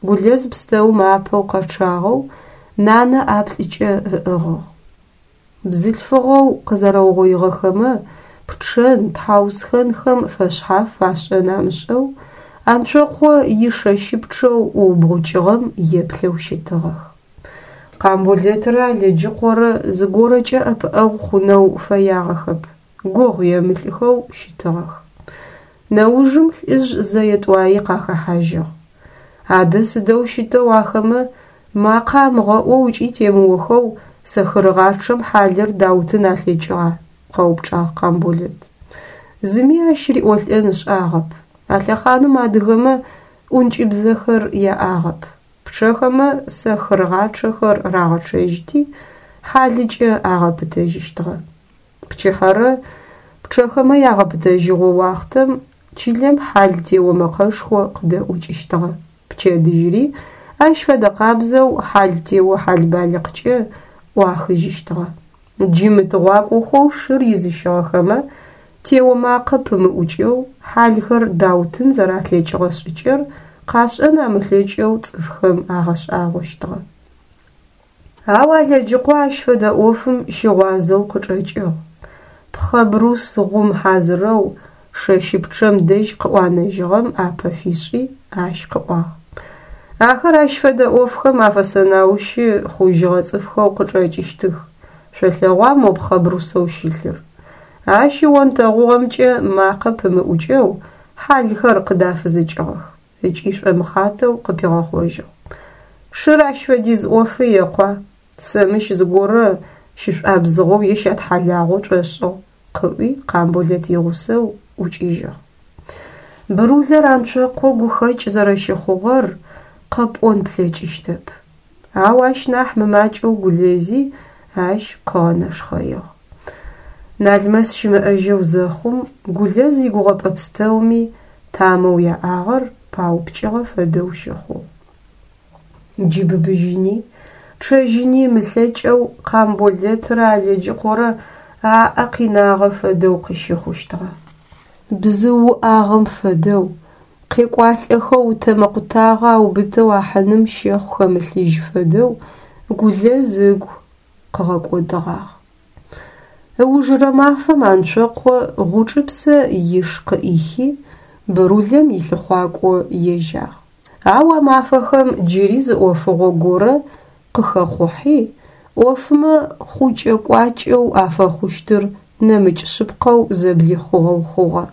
Гулэз пстэум апэу къэчъагъэу нанэ ӏаплӏыкӏэ ыӏыгъыгъ. Бзылъфыгъэу къызэрэугъоигъэхэмэ пчъэн, тхьаусхэнхэм фэшъхьаф ашӏэн амышӏэу Анцокъо ишэщыпчъэу ӏуубгъукӏыгъэм еплъэу щытыгъэх. Къамболэтрэ Алэджыкъорэ зыгорэкӏэ ӏэпыӏэгъу хъунэу фэягъэхэп, гугъу емылӏхэу щытыгъэх. Нэужым лӏыжъ зэе-тӏуаи къахэхьажьыгъ. Адэ сыдэу щытэу ахэмэ макъэ амыгъэӏоу ыкӏи темыохэу сэхырыгъачъэм хьалыр даутын алъэкӏыгъа? Къэупчӏагъ Къамболэт. Зыми ащ риӏолӏэн ышӏагъэп. А лъэхъаным адыгэмэ ӏункӏыбзэхэр яӏагъэп. Пчъэхэмэ сэхырыгъачъэхэр рагъэчъэжьыти, хьалыкӏэ агъэпытэжьыщтыгъэ. Пчыхьэрэ пчъэхэмэ ягъэпытэжьыгъо уахътэм чылэм хьал тео мэкъэшхо къыдэӏукӏыщтыгъэ. Пчэдыжьыри ащ фэдэ къабзэу хьал тео хьал-балыкъкӏэ ӏуахыжьыщтыгъэ. Джы мытыгъуакӏохэу шыр изыщыгъэхэмэ тео макъэ пымыӏукӏэу хьалхэр даутын зэралъэкӏыгъэ шӏыкӏэр къашӏэн амылъэкӏэу цӏыфхэм агъэшӏагъощтыгъэ. Ау Алэджыкъо ащ фэдэ ӏофым щыгъуазэу къычӏэкӏыгъ. Пхъэ брус гъум хьазырэу шэщыпчъэм дэжь къыӏуанэжьыгъэм ӏапэ фишӏи, ащ къыӏуагъ. Ахэр ащ фэдэ ӏофхэм афэсэнаущы хъужьыгъэ цӏыфхэу къычӏэкӏыщтых. Шъолъэгъуа мо пхъэ брусэу щылъыр? Ащ ионтэгъугъэмкӏэ макъэ пымыӏукӏэу хьалхэр къыдафызыкӏыгъэх. Ыкӏи шӏомыхъатэу къыпигъэхъожьыгъ. Шыр ащ фэдиз ӏофы екъуа? Сэ мыщ зыгорэ щышӏуабзыгъэу е щатхьалагъэу шӏошӏыгъ, къыӏуи Къамболэт игъусэу ӏукӏыжьыгъ. Бурулэр Анцокъо гухэкӏ зэрэщыхъугъэр къэпӏон плъэкӏыщтэп. Ау ащ нахь мымакӏэу Гулэзи ащ къыгъэнэшхъэигъ. Налмэс щымыӏэжьэу зэхъум, Гулэз игугъэпӏэ пстэуми тамэу яӏагъэр паупкӏыгъэ фэдэу щыхъугъ. Джы быбыжьыни, чъэжьыни ымылъэкӏэу Къамболэтрэ Алэджыкъорэ аӏэ къинагъэ фэдэу къыщыхъущтыгъэ. Бзыу уӏагъэм фэдэу, къекӏуалӏэхэу ытэмэ къутагъэ аубытэу ахьыным щэхъу хэмылъыжь фэдэу Гулэз ыгу къыгъэкӏодыгъагъ. Ыужырэ мафэм Анцокъо Гъучӏыпсэ иш къыӏихи, Бырулэм илъыхъуакӏо ежьагъ. Ау а мафэхэм джыри зы ӏофыгъо горэ къыхэхъухьи, ӏофмэ хъукӏэ-кӏуакӏэу афэхъущтыр нэмыкӏ шъыпкъэу зэблихъугъэу хъугъэ.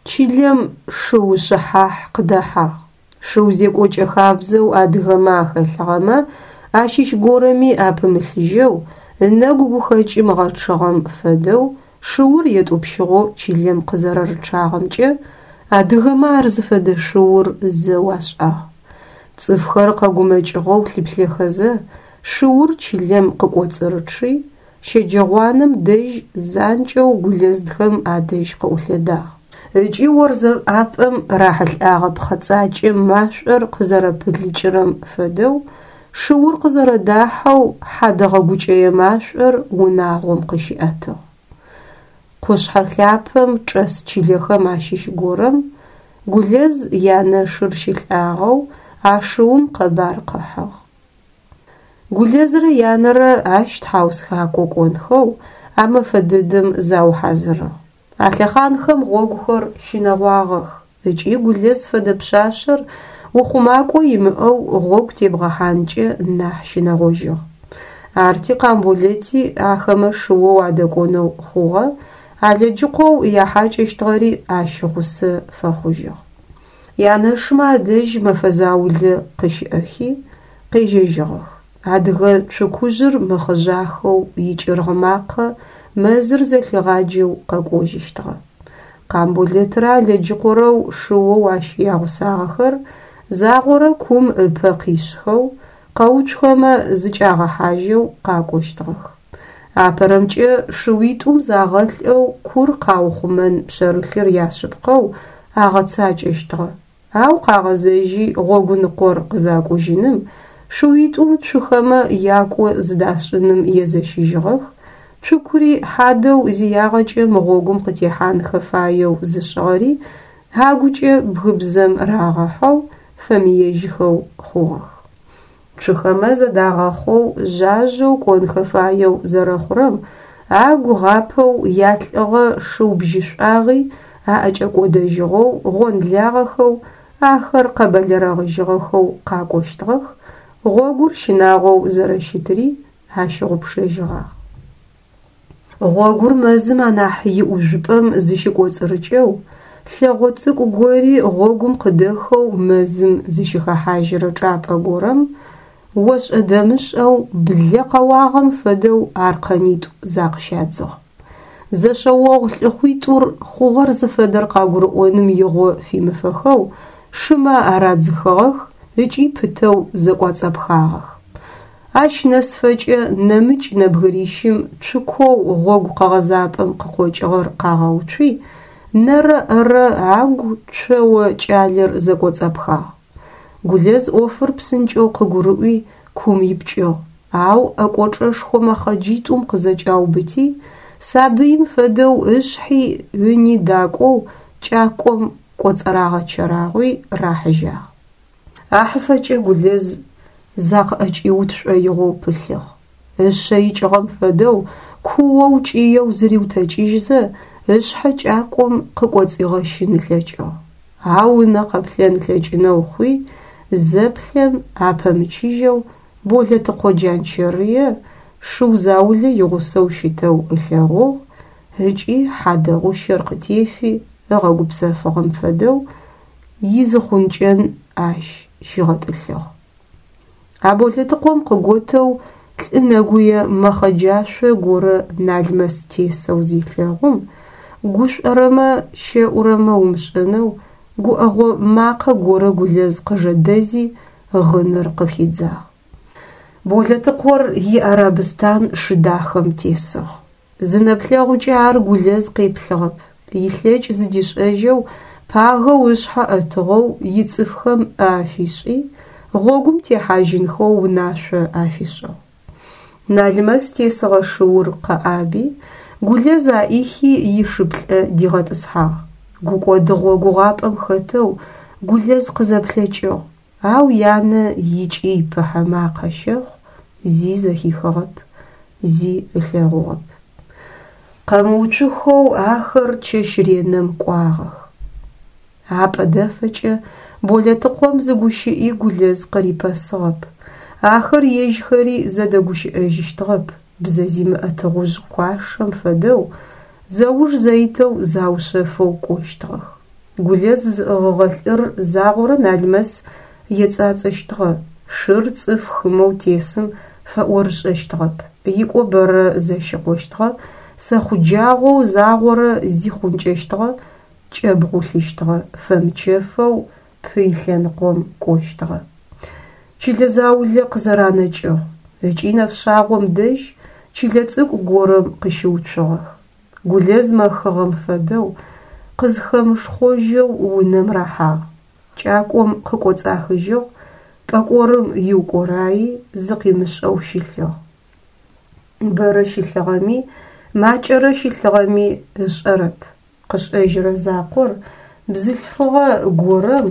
Чылэм шыу шъыхьахь къыдэхьагъ. Шыу зекӏокӏэ хабзэу адыгэмэ ахэлъыгъэмэ ащыщ горэми апымылъыжьэу, ынэгу гухэкӏым ыгъэчъыгъэм фэдэу шыур етӏупщыгъэу чылэм къызэрэрычъагъэмкӏэ адыгэмэ ар зыфэдэ шыур зэу ашӏагъ. Цӏыфхэр къэгумэкӏыгъэу лъыплъэхэзэ, шыур чылэм къыкӏоцӏырычъи, щэджэгъуанэм дэжь занкӏэу Гулэздхэм адэжь къыӏулъэдагъ. Ыкӏи орзэ ӏапӏэм рахьылӏагъэ пхъэцӏакӏэм машӏор къызэрэпылыкӏырэм фэдэу, шыур къызэрэдахьэу хьадэгъэ гукӏэе машӏор унагъом къыщиӏэтыгъ. Къушъхьэ лъапэм чӏэс чылэхэм ащыщ горэм Гулэз янэшыр щылӏагъэу а шыум къэбар къыхьыгъ. Гулэзрэ янэрэ ащ тхьаусхакӏо кӏонхэу а мэфэ дэдэм заухьазырыгъ. А лъэхъанхэм гъогухэр щынэгъуагъэх ыкӏи Гулэз фэдэ пшъашъэр ухъумакӏо имыӏэу гъогу тебгъэхьанкӏэ нахь щынэгъожьыгъ. Арти Къамболэти ахэмэ шыоу адэкӏонэу хъугъэ, Алэджыкъоу яхьакӏэщтыгъэри ащ гъусэ фэхъужьыгъ. Янэшымэ адэжь мэфэ заулэ къыщыӏэхи, къежьэжьыгъэх. Адыгэ цукужъыр мыхъыжъахэу икӏыргъ макъэ мэзыр зэлъигъаджэу къэкӏожьыщтыгъэ. Къамболэтрэ Алэджыкъорэу шыоу ащ ягъусагъэхэр загъорэ кум ыпэ къишъхэу, къэуцухэмэ зыкӏагъэхьажьэу къакӏощтыгъэх. Апэрэмкӏэ шыуитӏум загъэлӏэу кур къаухъумэн пшъэрылъыр яшъыпкъэу агъэцакӏэщтыгъэ. Ау къагъэзэжьи гъогуныкъор къызакӏужьыным, шыуитӏум цухэмэ якӏо зыдашӏыным езэщыжьыгъэх, цукури хьадэу зиягъэкӏэ мы гъогум къытехьанхэ фаеу зышӏыгъэри агукӏэ бгыбзэм рагъэхьэу фэмыежьхэу хъугъэх. Цухэмэ зэдагъэхъоу жъажъэу кӏонхэ фаеу зэрэхъурэм агу гъапэу ялӏыгъэ шыу бжьышӏуагъи аӏэкӏэкӏодэжьыгъэу гъонлагъэхэу ахэр къэбэлэрэгъыжьыгъэхэу къакӏощтыгъэх, гъогур щынагъоу зэрэщытыри ащыгъупшэжьыгъагъ. Гъогур мэзым анахь иӏужъупӏэм зыщыкӏоцӏырыкӏэу, лъэгъо цӏыкӏу гори гъогум къыдэхэу мэзым зыщыхэхьажьырэ чӏапӏэ горэм ошӏэ-дэмышӏэу блэ къэуагъэм фэдэу аркъэнитӏу закъыщадзыгъ. Зэшъэогъу лӏыхъуитӏур хъугъэр зыфэдэр къагурыӏоным игъо фимыфэхэу шымэ арадзыхыгъэх ыкӏи пытэу зэкӏуацӏэпхагъэх. Ащ нэсыфэкӏэ нэмыкӏ нэбгырищым цукоу гъогу къэгъэзапӏэм къыкъокӏыгъэр къагъэуцуи, нэрэ-ӏэрэ агу цоо кӏалэр зэкӏоцӏапхагъ. Гулэз ӏофыр псынкӏэу къыгурыӏуи кум ипкӏыгъ, ау ӏэкӏочӏэшхо мэхъэджитӏум къызэкӏаубыти, сабыим фэдэу ышъхьи ыни дакӏоу кӏакӏом кӏоцӏырагъэчэрагъуи рахьыжьагъ. Ахьыфэкӏэ Гулэз закъыӏэкӏиут шӏоигъоу пылъыгъ. Ышъэ икӏыгъэм фэдэу куоу кӏыеу зыриутэкӏыжьзэ, ышъхьэ кӏакӏом къыкӏоцӏигъэщын ылъэкӏыгъ. Ау ынэ къэплъэн ылъэкӏынэу хъуи, зэплъэм апэмычыжьэу Болэтыкъо Джанчэрые шыу заулэ игъусэу щытэу ылъэгъугъ ыкӏи хьадэгъущэр къытефи ыгъэгупсэфыгъэм фэдэу изыхъункӏэн ащ щигъэтӏылъыгъ. А Болэтыкъом къыготэу лӏы нэгуе мэхъэджашъо горэ Налмэс тесэу зелъэгъум, гушӏорэмэ щэӏурэмэ умышӏэнэу гуӏэгъо макъэ горэ Гулэз къыжэдэзи гъыныр къыхидзагъ. Болэтыкъор иарабстан шы дахэм тесыгъ. Зы нэплъэгъукӏэ ар Гулэз къеплъыгъэп, илъэкӏ зыдишӏэжьэу, пагэу ышъхьэ ӏэтыгъэу ицӏыфхэм ӏэ афишӏи, гъогум техьажьынхэу унашъо афишӏыгъ. Налмэс тесыгъэ шыур къэӏаби, Гулэз аӏихи ишыплӏэ дигъэтӏысхьагъ. Гукӏодыгъо гугъапӏэм хэтэу Гулэз къызэплъэкӏыгъ, ау янэ икӏый-пыхьэ макъэ щэхъу зи зэхихыгъэп, зи ылъэгъугъэп. Къэмыуцухэу ахэр чэщ ренэм кӏуагъэх. Апӏэ дэфэкӏэ Болэтыкъом зы гущыӏи Гулэз къырипэсыгъэп. Ахэр ежьхэри зэдэгущыӏэжьыщтыгъэп, бзэ зимыӏэ тыгъужъ куашэм фэдэу зэуж зэитэу заушъэфэу кӏощтыгъэх. Гулэз зыӏыгъыгъэ лӏыр загъорэ Налмэс ецӏацӏэщтыгъэ, шыр цӏыф хымэу тесым фэӏорышӏэщтыгъэп, икӏо бэрэ зэщикъощтыгъэ, сэхъуджагъоу загъорэ зихъункӏэщтыгъэ, кӏэбгъулъыщтыгъэ, фэмычэфэу пый лъэныкъом кӏощтыгъэ. Чылэ заулэ къызэранэкӏыгъ ыкӏи нэфшъагъом дэжь чылэ цӏыкӏу горэм къыщыуцугъэх. Гулэз мэхыгъэм фэдэу къызхэмышхъожьэу унэм рахьагъ. Кӏакӏом къыкӏоцӏахыжьыгъ, пӏэкӏорым иукӏораи зыкъимышӏэу щылъыгъ. Бэрэ щылъыгъэми, макӏэрэ щылъыгъэми ышӏэрэп. Къышӏэжьырэ закъор бзылъфыгъэ горэм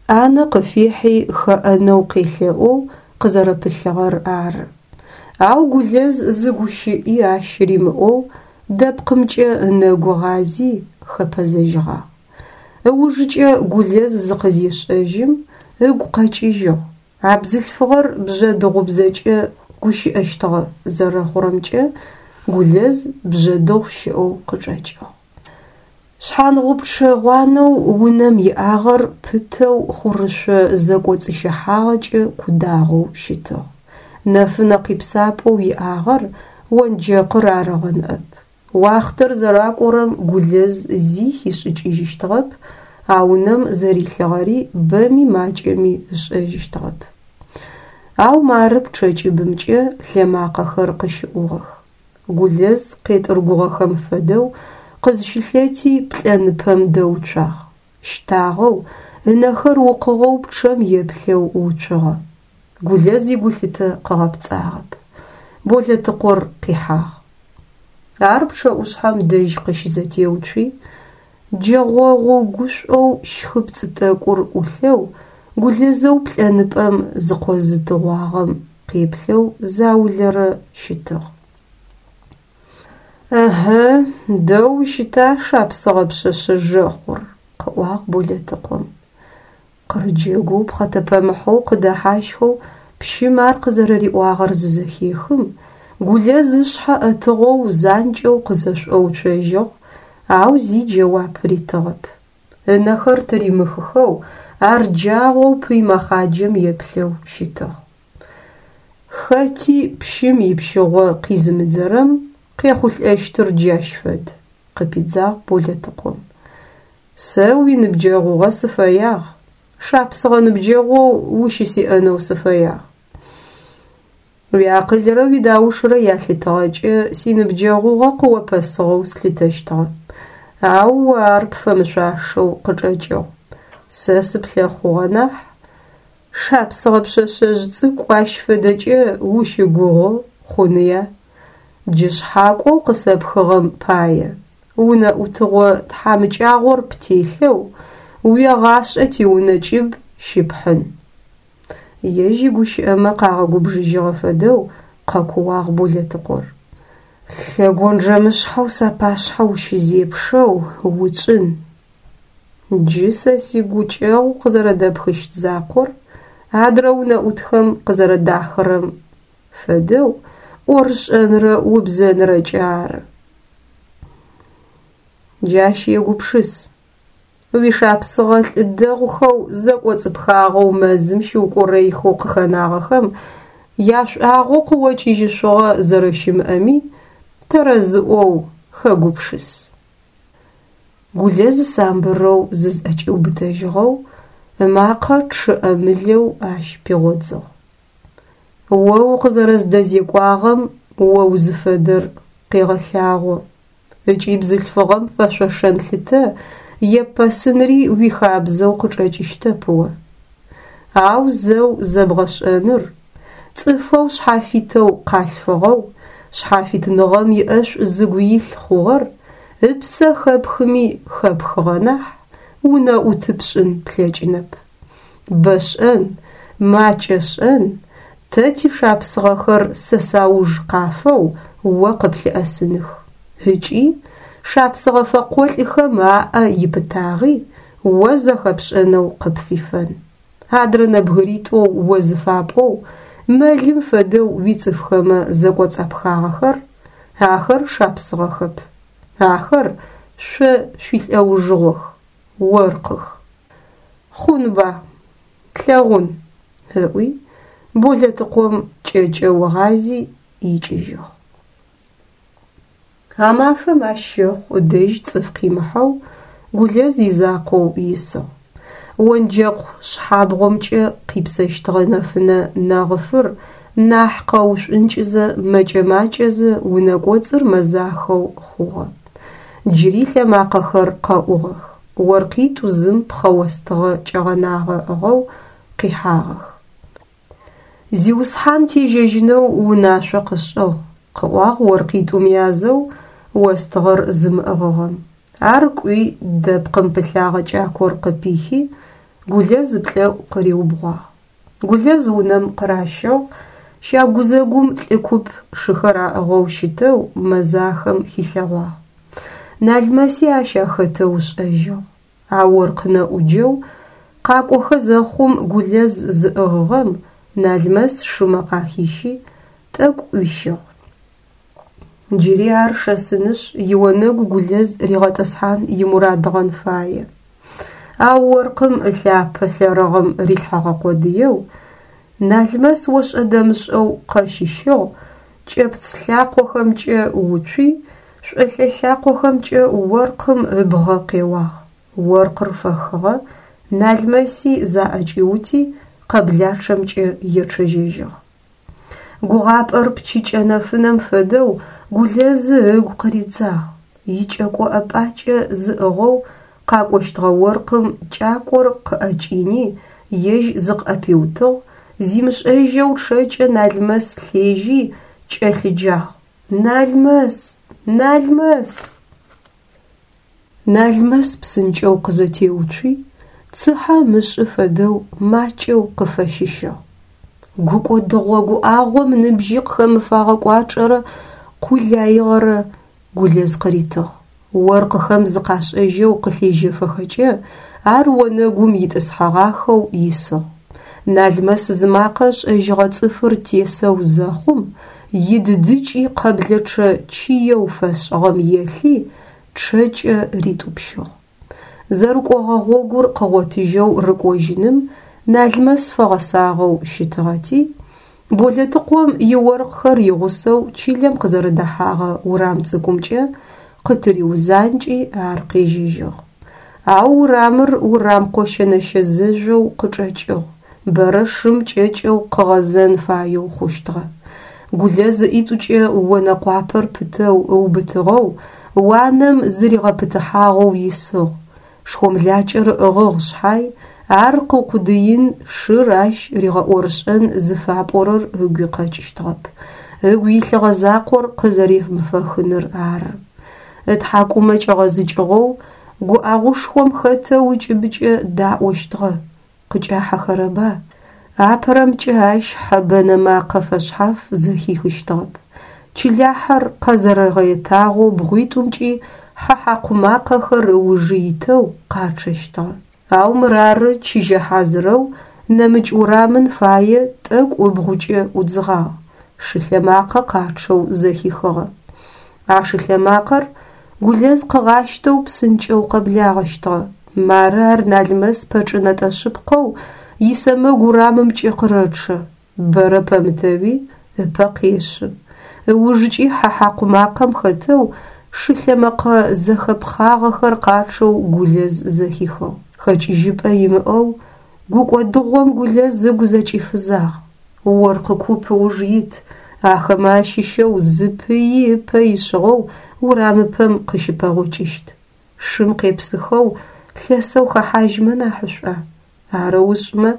ӏанэ къыфихьи хэӏэнэу къелъэӏоу къызэрэпылъыгъэр ары. Ау Гулэз зы гущыӏи ащ римыӏоу дэпкъымкӏэ ынэгу гъази хэпэзэжьыгъагъ. Ыужыкӏэ Гулэз зыкъызешӏэжьым ыгу къэкӏыжьыгъ: а бзылъфыгъэр бжъэдыгъубзэкӏэ гущыӏэщтыгъэ, зэрэхъурэмкӏэ Гулэз бжъэдыгъу щыӏэу къычӏэкӏыгъ. Шъхьангъупчъэ гъуанэу унэм иӏагъэр пытэу хъурышъо зэкӏоцӏыщыхьагъэкӏэ кудагъэу щытыгъ. Нэфынэ къипсапӏэу иӏагъэр онджэкъыр арыгъэ ныӏэп. Уахътэр зэракӏорэм Гулэз зи хишӏыкӏыжьыщтыгъэп, а унэм зэрилъыгъэри бэми макӏэми ышӏэжьыщтыгъэп. Ау мары пчъэ кӏыбымкӏэ лъэмакъэхэр къыщыӏугъэх. Гулэз къетӏыргугъэхэм фэдэу къызщылъэти плӏэныпэм дэуцуагъ. Щтагъэу, ынэхэр укъыгъэу пчъэм еплъэу уцугъэ. Гулэз игулъытэ къыгъэпцӏагъэп. Болэтыкъор къихьагъ. Ар пчъэӏушъхьэм дэжь къыщызэтеуцуи, джэгъогъу гушӏоу щхыпцӏы тӏэкӏур ӏулъэу Гулэзэу плӏэныпӏэм зыкъозытыгъуагъэм къеплъэу заулэрэ щытыгъ. Ыхьы, дэу ущыта шапсыгъэ пшъэшъэ жэхъур, къыӏуагъ Болэтыкъом. Къырыджэгоу пхъэтэпэмыхьэу къыдэхьащхэу пщым ар къызэрэриӏуагъэр зызэхехым, Гулэз ышъхьэ ӏэтыгъэу занкӏэу къызэшӏоуцожьыгъ, ау зи джэуап ритыгъэп. Ынэхэр тыримыхыхэу ар джагъоу пый мэхъаджэм еплъэу щытыгъ. Хэти пщым ипщыгъо къизымыдзэрэм къехъулӏэщтыр джащ фэд, къыпидзагъ Болэтыкъом. Сэ уиныбджэгъугъэ сыфэягъ, шапсыгъэ ныбджэгъоу ущысиӏэнэу сыфэягъ. Уиакъылрэ уидаушрэ ялъытыгъэкӏэ синыбджэгъугъэ къыопэсыгъэу слъытэщтыгъэ. Ау о ар пфэмышъуашэу къычӏэкӏыгъ. Сэ сыплъэхъугъэ нахь, шапсыгъэ пшъэшъэжъ цӏыкӏу ащ фэдэкӏэ ущыгугъы хъуныя? Джы шъхьакӏоу къысэпхыгъэм пае унэӏутыгъо тхьамыкӏагъор птелъэу уегъашӏэ тиунэ кӏыб щыпхьын. Ежь игущыӏэмэ къагъэгубжыжьыгъэ фэдэу къэкууагъ Болэтыкъор. Лъэгонджэмышъхьэу сапашъхьэ ущызепшэу уцӏын! Джы сэ сигукӏэгъу къызэрэдэпхыщт закъор адрэ унэӏутхэм къызэрэдахырэм фэдэу ӏорышӏэнрэ убзэнрэкӏэ ары. Джащ егупшыс. Уишапсыгъэ лӏы дэгъухэу зэкӏоцӏыпхагъэу мэзым щыукӏорэихэу къыхэнагъэхэм яшӏуагъэу къыокӏыжьышъугъэ зэрэщымыӏэми тэрэзыӏоу хэгупшыс. Гулэз самбырэу зызӏэкӏиубытэжьыгъэу, ымакъэ чъыӏэмылэу ащ пигъодзыгъ. О укъызэрэздэзекӏуагъэм о узыфэдэр къегъэлъагъо. Ыкӏи бзылъфыгъэм фэшъошэн лъытэ еппэсынри уихабзэу къычӏэкӏыщтэп о. Ау зэу зэбгъэшӏэныр, цӏыфэу шъхьафитэу къалъфыгъэу, шъхьафитныгъэм иӏэшӏу зыгу илъ хъугъэр ыпсэ хэпхыми хэпхыгъэ нахь, унэӏуты пшӏын плъэкӏынэп. Бэ шӏэн, макӏэ шӏэн, тэ тишапсыгъэхэр сэ сауж къафэу о къыплъыӏэсыных. Ыкӏи шапсыгъэ фэкъолӏхэм аӏэ ипытагъи о зэхэпшӏэнэу къыпфифэн. Адрэ нэбгыритӏоу о зыфапӏоу мэлым фэдэу уицӏыфхэмэ зэкӏоцӏапхагъэхэр, ахэр шапсыгъэхэп. Ахэр шъо шъуилӏэужыгъох, оркъых. Хъунба, тлъэгъун, ыӏуи, Болэтыкъом кӏэкӏэу ыгъази икӏыжьыгъ. А мафэм ащ щэхъу ыдэжь цӏыф къимыхьэу Гулэз изакъоу исыгъ. Онджэкъ шъхьабгъомкӏэ къипсэщтыгъэ нэфынэ нэгъыфыр нахь къэушӏункӏызэ мэкӏэ-макӏэзэ унэ кӏоцӏыр мэзахэу хъугъэ. Джыри лъэмакъэхэр къэӏугъэх. Оркъитӏу зым пхъэ остыгъэ кӏэгъэнагъэ ыӏыгъэу къихьагъэх. Зиусхьан тежьэжьынэу унашъо къышӏыгъ, къыӏуагъ оркъитӏум язэу остыгъэр зымыӏыгъыгъэм. Ар кӏуи дэпкъым пылъагъэ кӏакор къыпихи, Гулэз ыплӏэӏу къыриубгъуагъ. Гулэз унэм къыращыгъ, щагузэгум лӏы куп шыхэр аӏыгъэу щытэу мэзахэм хилъэгъуагъ. Налмэси ащ ахэтэу ышӏэжьыгъ. А оркъ нэӏуджэу къакӏохэ зэхъум Гулэз зыӏыгъыгъэм Налмэс шымэ къахищи, тӏэкӏу ӏуищыгъ. Джыри ар шэсынышъ ионэгу Гулэз ригъэтӏысхьан имурадыгъэн фае. Ау оркъым ылъапэ лъэрыгъым рилъхьэгъэ къодыеу Налмэс ошӏэ-дэмышӏэу къэщыщыгъ, кӏэпц лъакъохэмкӏэ уцуи, шӏолъэ лъакъохэмкӏэ оркъым ыбгъэ къеуагъ. Оркъыр фэхыгъэ, Налмэси заӏэкӏиути къэблачъэмкӏэ ечъэжьэжьыгъ. Гугъапӏэр пчыкӏэ нэфынэм фэдэу Гулэзы ыгу къыридзагъ. Икӏэко ӏэпӏакӏэ зыӏыгъэу къакӏощтыгъэ оркъым кӏакор къыӏэкӏини ежь зыкъыӏэпиутыгъ, зимышӏэжьэу чъэкӏэ Налмэс лъежьи кӏэлъыджагъ: «Налмэс! Налмэс!» Налмэс псынкӏэу къызэтеуцуи, цыхьэ ымышӏы фэдэу макӏэу къыфэщыщыгъ. Гукӏодыгъо гуӏагъом ныбжьи къыхэмыфэгъэ кӏуачӏэрэ къулаигъэрэ Гулэз къыритыгъ. Оркъыхэм зыкъашӏэжьэу къылъежьэфэхэкӏэ ар онэгум итӏысхьэгъахэу исыгъ. Налмэс зымакъэ ышӏэжьыгъэ цӏыфыр тесэу зэхъум, идыдыкӏи къэблэчъэ чыеу фэшӏыгъэм елъи, чъэкӏэ ритӏупщыгъ. Зэрыкӏогъэ гъогур къыгъотыжьэу рыкӏожьыным Налмэс фэгъэсагъэу щытыгъэти, Болэтыкъом иоркъхэр игъусэу чылэм къызэрэдэхьагъэ урам цӏыкӏумкӏэ къытыриузанкӏи ар къежьэжьыгъ. Ау урамыр урам къощэ-нэщэ зэжъоу къычӏэкӏыгъ, бэрэ шым кӏэкӏэу къыгъэзэн фаеу хъущтыгъэ. Гулэз ыӏитӏукӏэ онэ къуапэр пытэу ыубытыгъэу, уанэм зыригъэпытыхьагъэу исыгъ. Шхомлакӏэр ыӏыгъыгъ шъхьай, ар къыукъудыин, шыр ащ ригъэӏорышӏэн зыфапӏорэр ыгуи къэкӏыщтыгъэп. Ыгу илъыгъэ закъор къызэремыфэхыныр ары. Ытхьакӏумэ кӏэгъэзыкӏыгъэу гуӏэгъушхом хэтэу ыкӏыбыкӏэ даӏощтыгъэ. Къыкӏахьэхэрэба? Апэрэмкӏэ ащ хьэ бэнэ макъэ фэшъхьаф зэхихыщтыгъэп. Чылахьэр къэзэрэгъэетагъэу бгъуитӏумкӏи хьэ хьакъу макъэхэр ыужы итэу къачъэщтыгъэ. Ау мырары чыжьэ хьазырэу нэмыкӏ урамын фае тӏэкӏу ыбгъукӏэ ӏудзыгъагъ, шылъэмакъэ къачъэу зэхихыгъэ. А шылъэмакъэр Гулэз къыгъащтэу псынкӏэу къэблагъэщтыгъэ. Мары ар Налмэс пэчӏынэтӏэ шъыпкъэу исэмэгу урамымкӏэ къырэчъэ. Бэрэ пэмытэуи ыпэ къешъы. Ыужыкӏи хьэ хьакъу макъэм хэтэу шылъэмэкъэ зэхэпхъагъэхэр къачъэу Гулэз зэхихыгъ. Хэкӏыжьыпӏэ имыӏэу гукӏодыгъом Гулэз ыгу зэкӏифызагъ. Оркъы куп ыуж ит, Ахэмэ ащыщэу зы пыи ыпэ ишъыгъэу урамыпэм къыщыпэгъокӏыщт. Шым къепсыхэу лъэсэу хэхьажьмэ нахьышӏуа? Арэу ышӏымэ,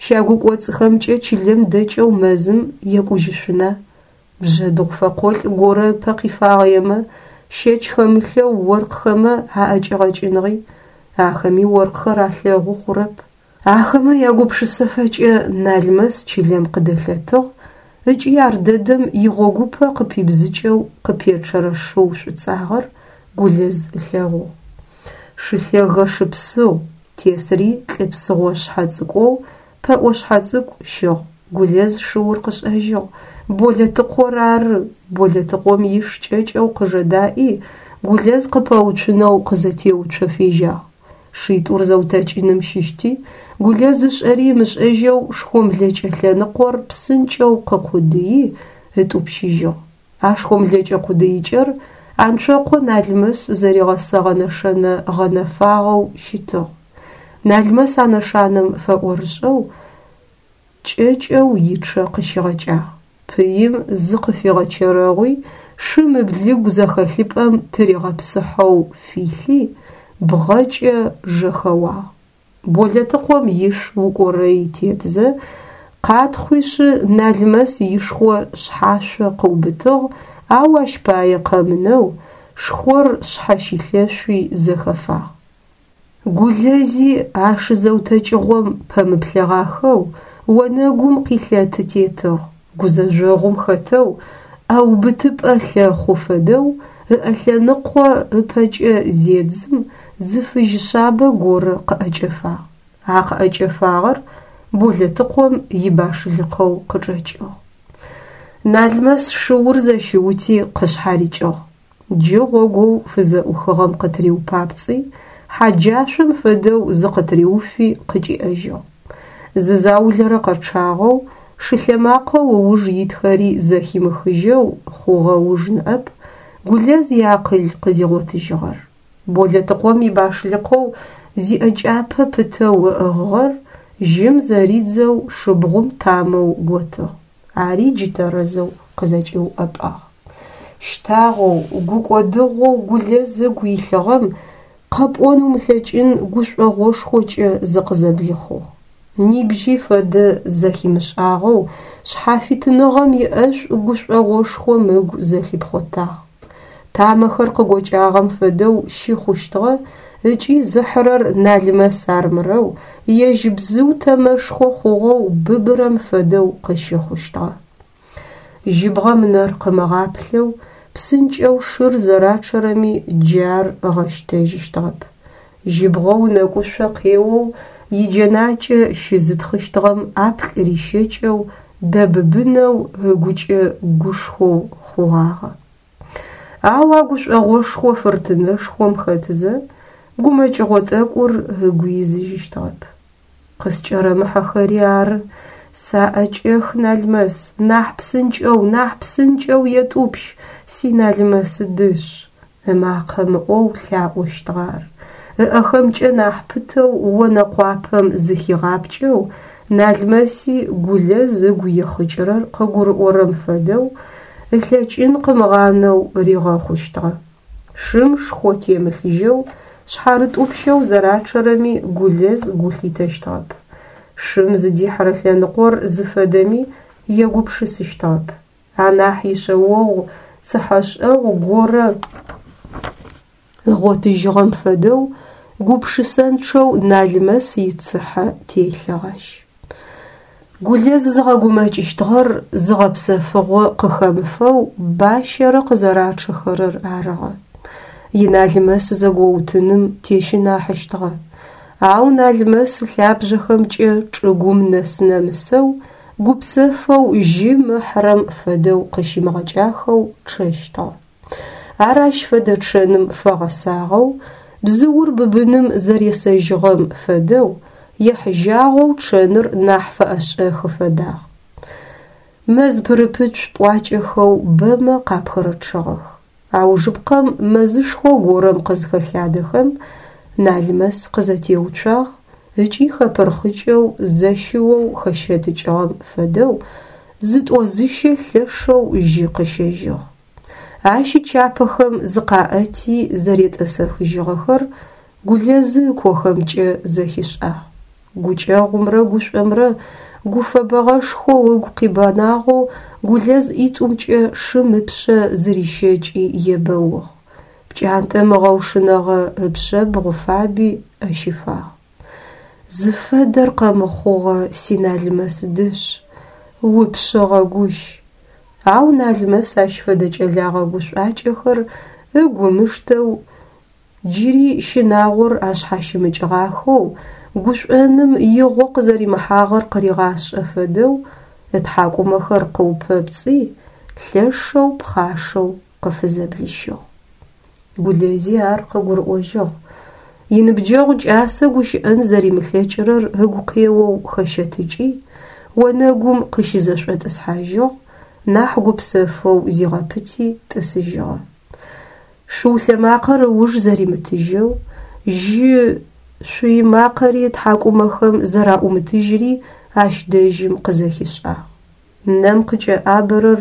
щагукӏоцӏхэмкӏэ чылэм дэкӏэу мэзым екӏужьышъуна? Бжъэдыгъу фэкъолӏ горэ ыпэ къифагъэемэ, щэч хэмылъэу оркъхэмэ аӏэкӏигъэкӏыныгъи, ахэми оркъхэр алъэгъу хъурэп. Ахэмэ ягупшысэфэкӏэ Налмэс чылэм къыдэлъэтыгъ ыкӏи ар дэдэм игъогупэ къыпибзыкӏэу къыпечъэрэ шыу шӏуцӏагъэр Гулэз ылъэгъугъ. Шы лъэгэ шыпсыгъу, тесыри лӏы псыгъо шъхьэ цӏыкӏоу, пэӏо шъхьэцӏыкӏу щыгъ. Гулэз шыур къышӏэжьыгъ. Болэтыкъор ары. Болэтыкъом иш кӏэкӏэу къыжэдаӏи, Гулэз къыпэуцунэу къызэтеуцо фежьагъ. Шитӏур зэутэкӏыным щыщти, Гулэз ышӏэри ымышӏэжьэу шхомлэкӏэ лъэныкъор псынкӏэу къыкъудыи ытӏупщыжьыгъ. А шхомлэкӏэ къудыикӏэр Анцокъо Налмэс зэригъэсэгъэ нэшэнэ гъэнэфагъэу щытыгъ. Налмэс а нэшанэм фэӏорышӏэу кӏэкӏэу ичъэ къыщигъэкӏагъ. Пыим зыкъыфигъэчэрэгъуи, шым ыблыгу зэхэлъыпӏэм тыригъэпсыхьэу филъи, бгъэкӏэ жэхэуагъ. Болэтыкъом иш укӏорэи тетзэ, къатхъуишъы Налмэс ишхо шъхьашъо къыубытыгъ, ау ащ пае къэмынэу, шхор шъхьэщилъэшъуи зэхэфагъ. Гулэзи а шы зэутэкӏыгъом пэмыплъэгъахэу онэгум къилъэты тетыгъ, гузэжъогъум хэтэу, ӏэубытыпӏэ лъэхъу фэдэу ыӏэ лъэныкъо ыпэкӏэ зедзым, зы фыжь шъабэ горэ къыӏэкӏэфагъ. А къыӏэкӏэфагъэр Болэтыкъом ибашлыкъэу къычӏэкӏыгъ. Налмэс шыур зэщиути къышъхьарикӏыгъ. Джы гъогоу фызэӏухыгъэм къытыриупапцӏи, хьаджашъом фэдэу зыкъытыриуфи къыкӏиӏэжьыгъ. Зы заулэрэ къэчъагъэу, шылъэмакъэу ыуж итхэри зэхимыхыжьэу хъугъэ уж ныӏэп Гулэз иакъыл къызигъотыжьыгъэр. Болэтыкъом ибашлыкъэу зиӏэкӏапэ пытэу ыӏыгъыгъэр жьым зэридзэу шыбгъум тамэу готыгъ. Ари джы тэрэзэу къызэкӏиуӏэпӏагъ. Щтагъэу, гукӏодыгъоу Гулэз ыгу илъыгъэм къэпӏон умылъэкӏын гушӏогъошхокӏэ зыкъызэблихъугъ. Нибжьи фэдэ зэхимышӏагъэу шъхьафитыныгъэм иӏэшӏу гушӏогъошхом ыгу зэлъипхъотагъ. Тамэхэр къыгокӏагъэм фэдэу щыхъущтыгъэ ыкӏи зыхьырэр Налмэс армырэу, ежь бзыу тэмэшхо хъугъэу быбырэм фэдэу къыщыхъущтыгъэ. Жьыбгъэм нэр къымыгъаплъэу, псынкӏэу шыр зэрачъэрэми джы ар ыгъэщтэжьыщтыгъэп. Жьыбгъэу нэкӏушъо къеоу иджэнакӏэ щызытхъыщтыгъэм ӏаплӏ рищэкӏэу дэбыбынэу ыгукӏэ гушхоу хъугъагъэ. Ау а гушӏогъошхо фыртынэшхом хэтызэ, гумэкӏыгъо тӏэкӏур ыгу изыжьыщтыгъэп. Къыскӏэрэмыхьэхэри ары, саӏэкӏэх, Налмэс, нахь псынкӏэу, нахь псынкӏэу етӏупщ, си Налмэс дышъ! Ымакъэ мыӏоу лъаӏощтыгъэ ар. Ыӏэхэмкӏэ нахь пытэу онэкъуапэм зыхигъапкӏэу, Налмэси Гулэз ыгу ихъыкӏырэр къыгурыӏорэм фэдэу, ылъэкӏын къымыгъанэу ригъэхъущтыгъэ. Шым шхо темылъыжьэу, шъхьарытӏупщэу зэрачъэрэми Гулэз гу лъитэщтыгъэп. Шым зыдихьырэ лъэныкъор зыфэдэми егупшысыщтыгъэп. Анахь ишъэогъу цыхьэшӏэгъу горэ ыгъотыжьыгъэм фэдэу гупшысэнчъэу Налмэс ицыхьэ телъыгъ ащ. Гулэз зыгъэгумэкӏыщтыгъэр зыгъэпсэфыгъо къыхэмыфэу бащэрэ къызэрачъэхэрэр арыгъэ. Иналмэс зэгоутыным тещынахьыщтыгъэ. Ау Налмэс ылъабжъэхэмкӏэ чӏыгум нэс-нэмысэу, гупсэфэу жьым ыхьырэм фэдэу къыщимыгъэкӏахэу чъэщтыгъэ. Ар ащ фэдэ чъэным фэгъэсагъэу, бзыур быбыным зэресэжьыгъэм фэдэу, ехьыжьагъэу чъэныр нахь фэӏэшӏэхы фэдагъ. Мэз пырыпыцу пӏуакӏэхэу бэмэ къапхырычъыгъэх. Аужыпкъэм мэзышхо горэм къызхэлъадэхэм, Налмэс къызэтеуцуагъ ыкӏи хэпырхъыкӏэу зэщыоу хэщэтыкӏыгъэм фэдэу Зытӏо-зыщэ лъэшэу жьы къыщэжьыгъ. Ащ ычапэхэм зыкъаӏэти зэретӏысэхыжьыгъэхэр Гулэзы ыкохэмкӏэ зэхишӏагъ. Гукӏэгъумрэ гушӏомрэ гуфэбэгъэшхоу ыгу къибэнагъэу Гулэз ӏитӏумкӏэ шым ыпшъэ зырищэкӏи ебэугъ. Пкӏантӏэм ыгъэушынэгъэ ыпшъэбгъу фаби ӏэ щифагъ. Зыфэдэр къэмыхъугъэ си Налмэс дышъ, упшъыгъэ гущ. Ау Налмэс ащ фэдэ кӏэлэгъэ гушӏуакӏэхэр ыгу ымыштэу, джыри щынагъор ашъхьащымыкӏыгъахэу, гушӏоным игъо къызэримыхьагъэр къыригъашӏэ фэдэу ытхьакӏумэхэр къыупэпцӏи, лъэшэу пхъашэу къыфызэблищыгъ. Гулэзи ар къыгурыӏожьыгъ. Иныбджэгъу кӏасэ гущыӏэн зэримылъэкӏырэр ыгу къеоу хэщэтыкӏи, онэгум къыщызэшӏотӏысхьажьыгъ, нахь гупсэфэу зигъэпыти тӏысыжьыгъэ. Шыу лъэмакъэр ыуж зэримытыжьэу, жьы шъуй макъэри ытхьакӏумэхэм зэраӏумытыжьри ащ дэжьым къызэхишӏагъ. Нэм къыкӏэӏабэрэр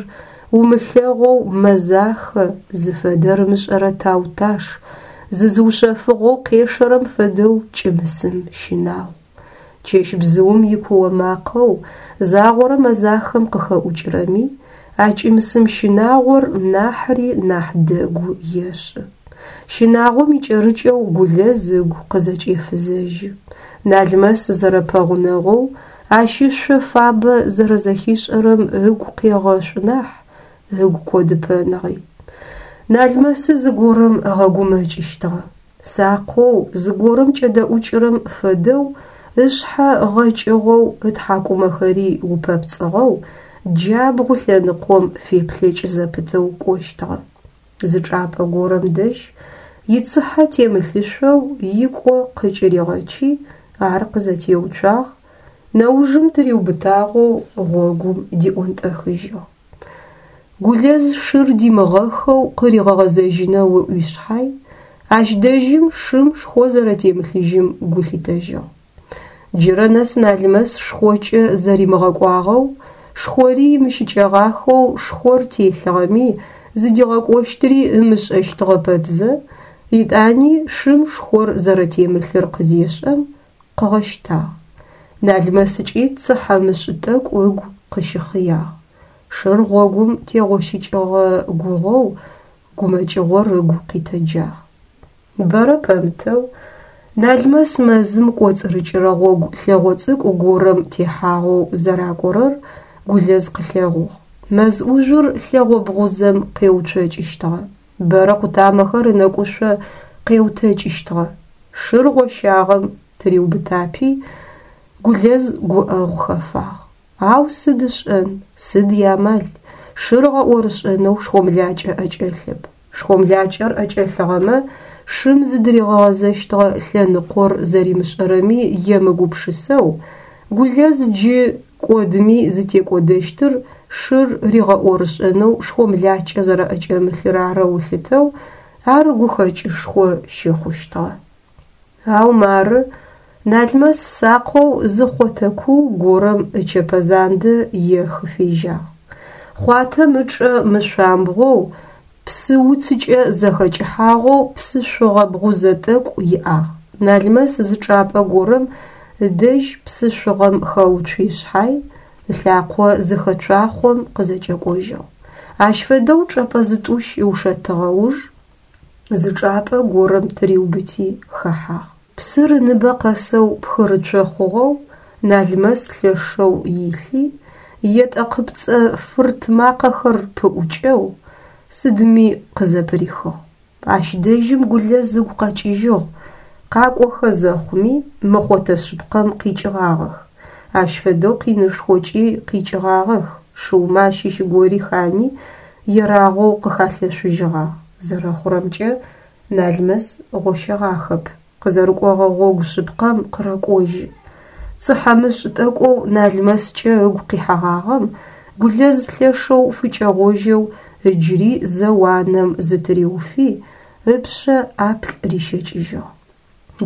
умылъэгъоу мэзахэ, зыфэдэр ымышӏэрэ Тауташ, зызыушъэфыгъэу къешэрэм фэдэу кӏымысым щынагъу. Чэщ бзыум икуо макъэу загъорэ мэзахэм къыхэӏукӏырэми, а кӏымсым щынагъор нахьри нахь дэгу ешӏы. Щынагъом икӏэрыкӏэу Гулэз ыгу къызэкӏефызэжьы. Налмэс зэрэпэгъунэгъоу, ащ ышъо фабэ зэрэзэхишӏэрэм ыгу къегъэшӏу нахь, ыгу кӏодыпэныгъи. Налмэсы зыгорэм ыгъэгумэкӏыщтыгъэ. Сакъэу, зыгорэм кӏэдэӏукӏырэм фэдэу ышъхьэ гъэкӏыгъэу, ытхьакӏумэхэри упэпцӏыгъэу, джабгъу лъэныкъом феплъэкӏ зэпытэу кӏощтыгъэ. Зы чӏапӏэ горэм дэжь ицыхьэ темылъышъоу икӏо къыкӏыригъэчи, ар къызэтеуцуагъ, нэужым тыриубытагъэу гъогум диӏонтӏэхыжьыгъ. Гулэз шыр димыгъэхэу къыригъэгъэзэжьынэу ыӏуи шъхьай, ащ дэжьым шым шхо зэрэтемылъыжьым гу лъитэжьыгъ. Джырэ нэс Налмэс шхокӏэ зэримыгъэкӏуагъэу, шхори имыщыкӏэгъахэу шхор телъыгъэми зыдигъэкӏощтыри ымышӏэщтыгъэ пэтзэ, етӏани шым шхор зэрэтемылъыр къызешӏэм, къыгъэщтагъ. Налмэсыкӏи цыхьэмышӏ тӏэкӏу ыгу къыщыхъыягъ. Шыр гъогум тегъощыкӏыгъэ гугъэу гумэкӏыгъор ыгу къитэджагъ. Бэрэ пэмытэу Налмэс мэзым кӏоцӏырыкӏырэ гъогу лъэгъо цӏыкӏу горэм техьагъэу зэракӏорэр Гулэз къылъэгъугъ. Мэз ӏужъур лъэгъо бгъузэм къеуцокӏыщтыгъэ. Бэрэ къутамэхэр ынэкӏушъо къеутэкӏыщтыгъэ. Шыр гъощагъэм тыриубытапи, Гулэз гуӏэгъу хэфагъ. Ау сыд ышӏэн, сыд иамал, шыр ыгъэӏорышӏэнэу шхомлакӏэ ӏэкӏэлъэп. Шхомлакӏэр ӏэкӏэлъыгъэмэ, шым зыдыригъэгъэзэщтыгъэ лъэныкъор зэримышӏэрэми емыгупшысэу, Гулэз джы кӏодыми зытекӏодэщтыр шыр ригъэӏорышӏэнэу шхомлакӏэ зэрэӏэкӏэмылъыр арэу ылъытэу, ар гухэкӏышхо щыхъущтыгъэ. Ау мары Налмэс сакъэу зы хъотэ куу горэм ычэпэзандэ ехы фежьагъ. Хъуатэм ычӏэ мышъуамбгъоу, псы уцыкӏэ зэхэкӏыхьагъэу псышъугъэ бгъузэ тӏэкӏу иӏагъ. Налмэс зы чӏапӏэ горэм ыдэжь псышъугъэм хэуцуи шъхьай, ылъакъо зыхэцуахъом къызэкӏэкӏожьыгъ. Ащ фэдэу чӏэпӏэ зытӏущ ыушэтыгъэ уж, зы чӏапӏэ горэм тыриубыти хэхьагъ. Псыр ыныбэ къэсэу пхырыцо хъугъэу Налмэс лъэшэу илъи, етӏэ къыпцӏэ фырт макъэхэр пыӏукӏэу, сыдми къызэпырихыгъ. Ащ дэжьым Гулэз ыгу къэкӏыжьыгъ, къакӏохэ зэхъуми мы хъотэ шъыпкъэм къикӏыгъагъэх. Ащ фэдэу къинышхокӏи къикӏыгъагъэх, шыумэ ащыщ гори хани, ерагъоу къыхалъэшъужьыгъагъ. Зэрэхъурэмкӏэ, Налмэс гъощэгъахэп, къызэрыкӏогъэ гъогу шъыпкъэм къырэкӏожьы. Цыхьэмышӏ тӏэкӏоу Налмэскӏэ ыгу къихьэгъагъэм Гулэз лъэшэу фыкӏэгъожьэу ыджыри зэ уанэм зытыриуфи, ыпшъэ ӏаплӏ рищэкӏыжьыгъ.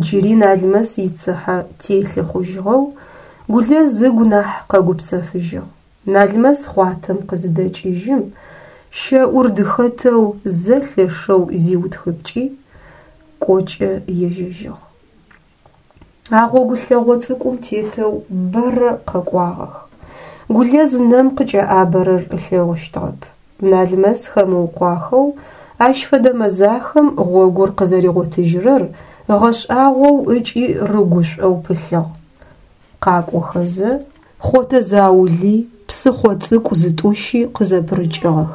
Джыри Налмэс ицыхьэ телъы хъужьыгъэу Гулэз ыгу нахь къэгупсэфыжьыгъ. Налмэс хъуатэм къызыдэкӏыжьым, щэӏур дыхэтэу зэ лъэшэу зиутхыпкӏи, кӏокӏэ ежьэжьыгъ. А гъогу лъэгъо цӏыкӏум тетэу бэрэ къэкӏуагъэх. Гулэз нэм къыкӏэӏабэрэр ылъэгъущтыгъэп. Налмэс хэмыукъуахэу ащ фэдэ мэзахэм гъогур къызэригъотыжьырэр ыгъэшӏагъоу ыкӏи рыгушӏоу пылъыгъ. Къакӏохэзэ хъотэ заули, псыхъо цӏыкӏу зытӏущи къызэпырыкӏыгъэх.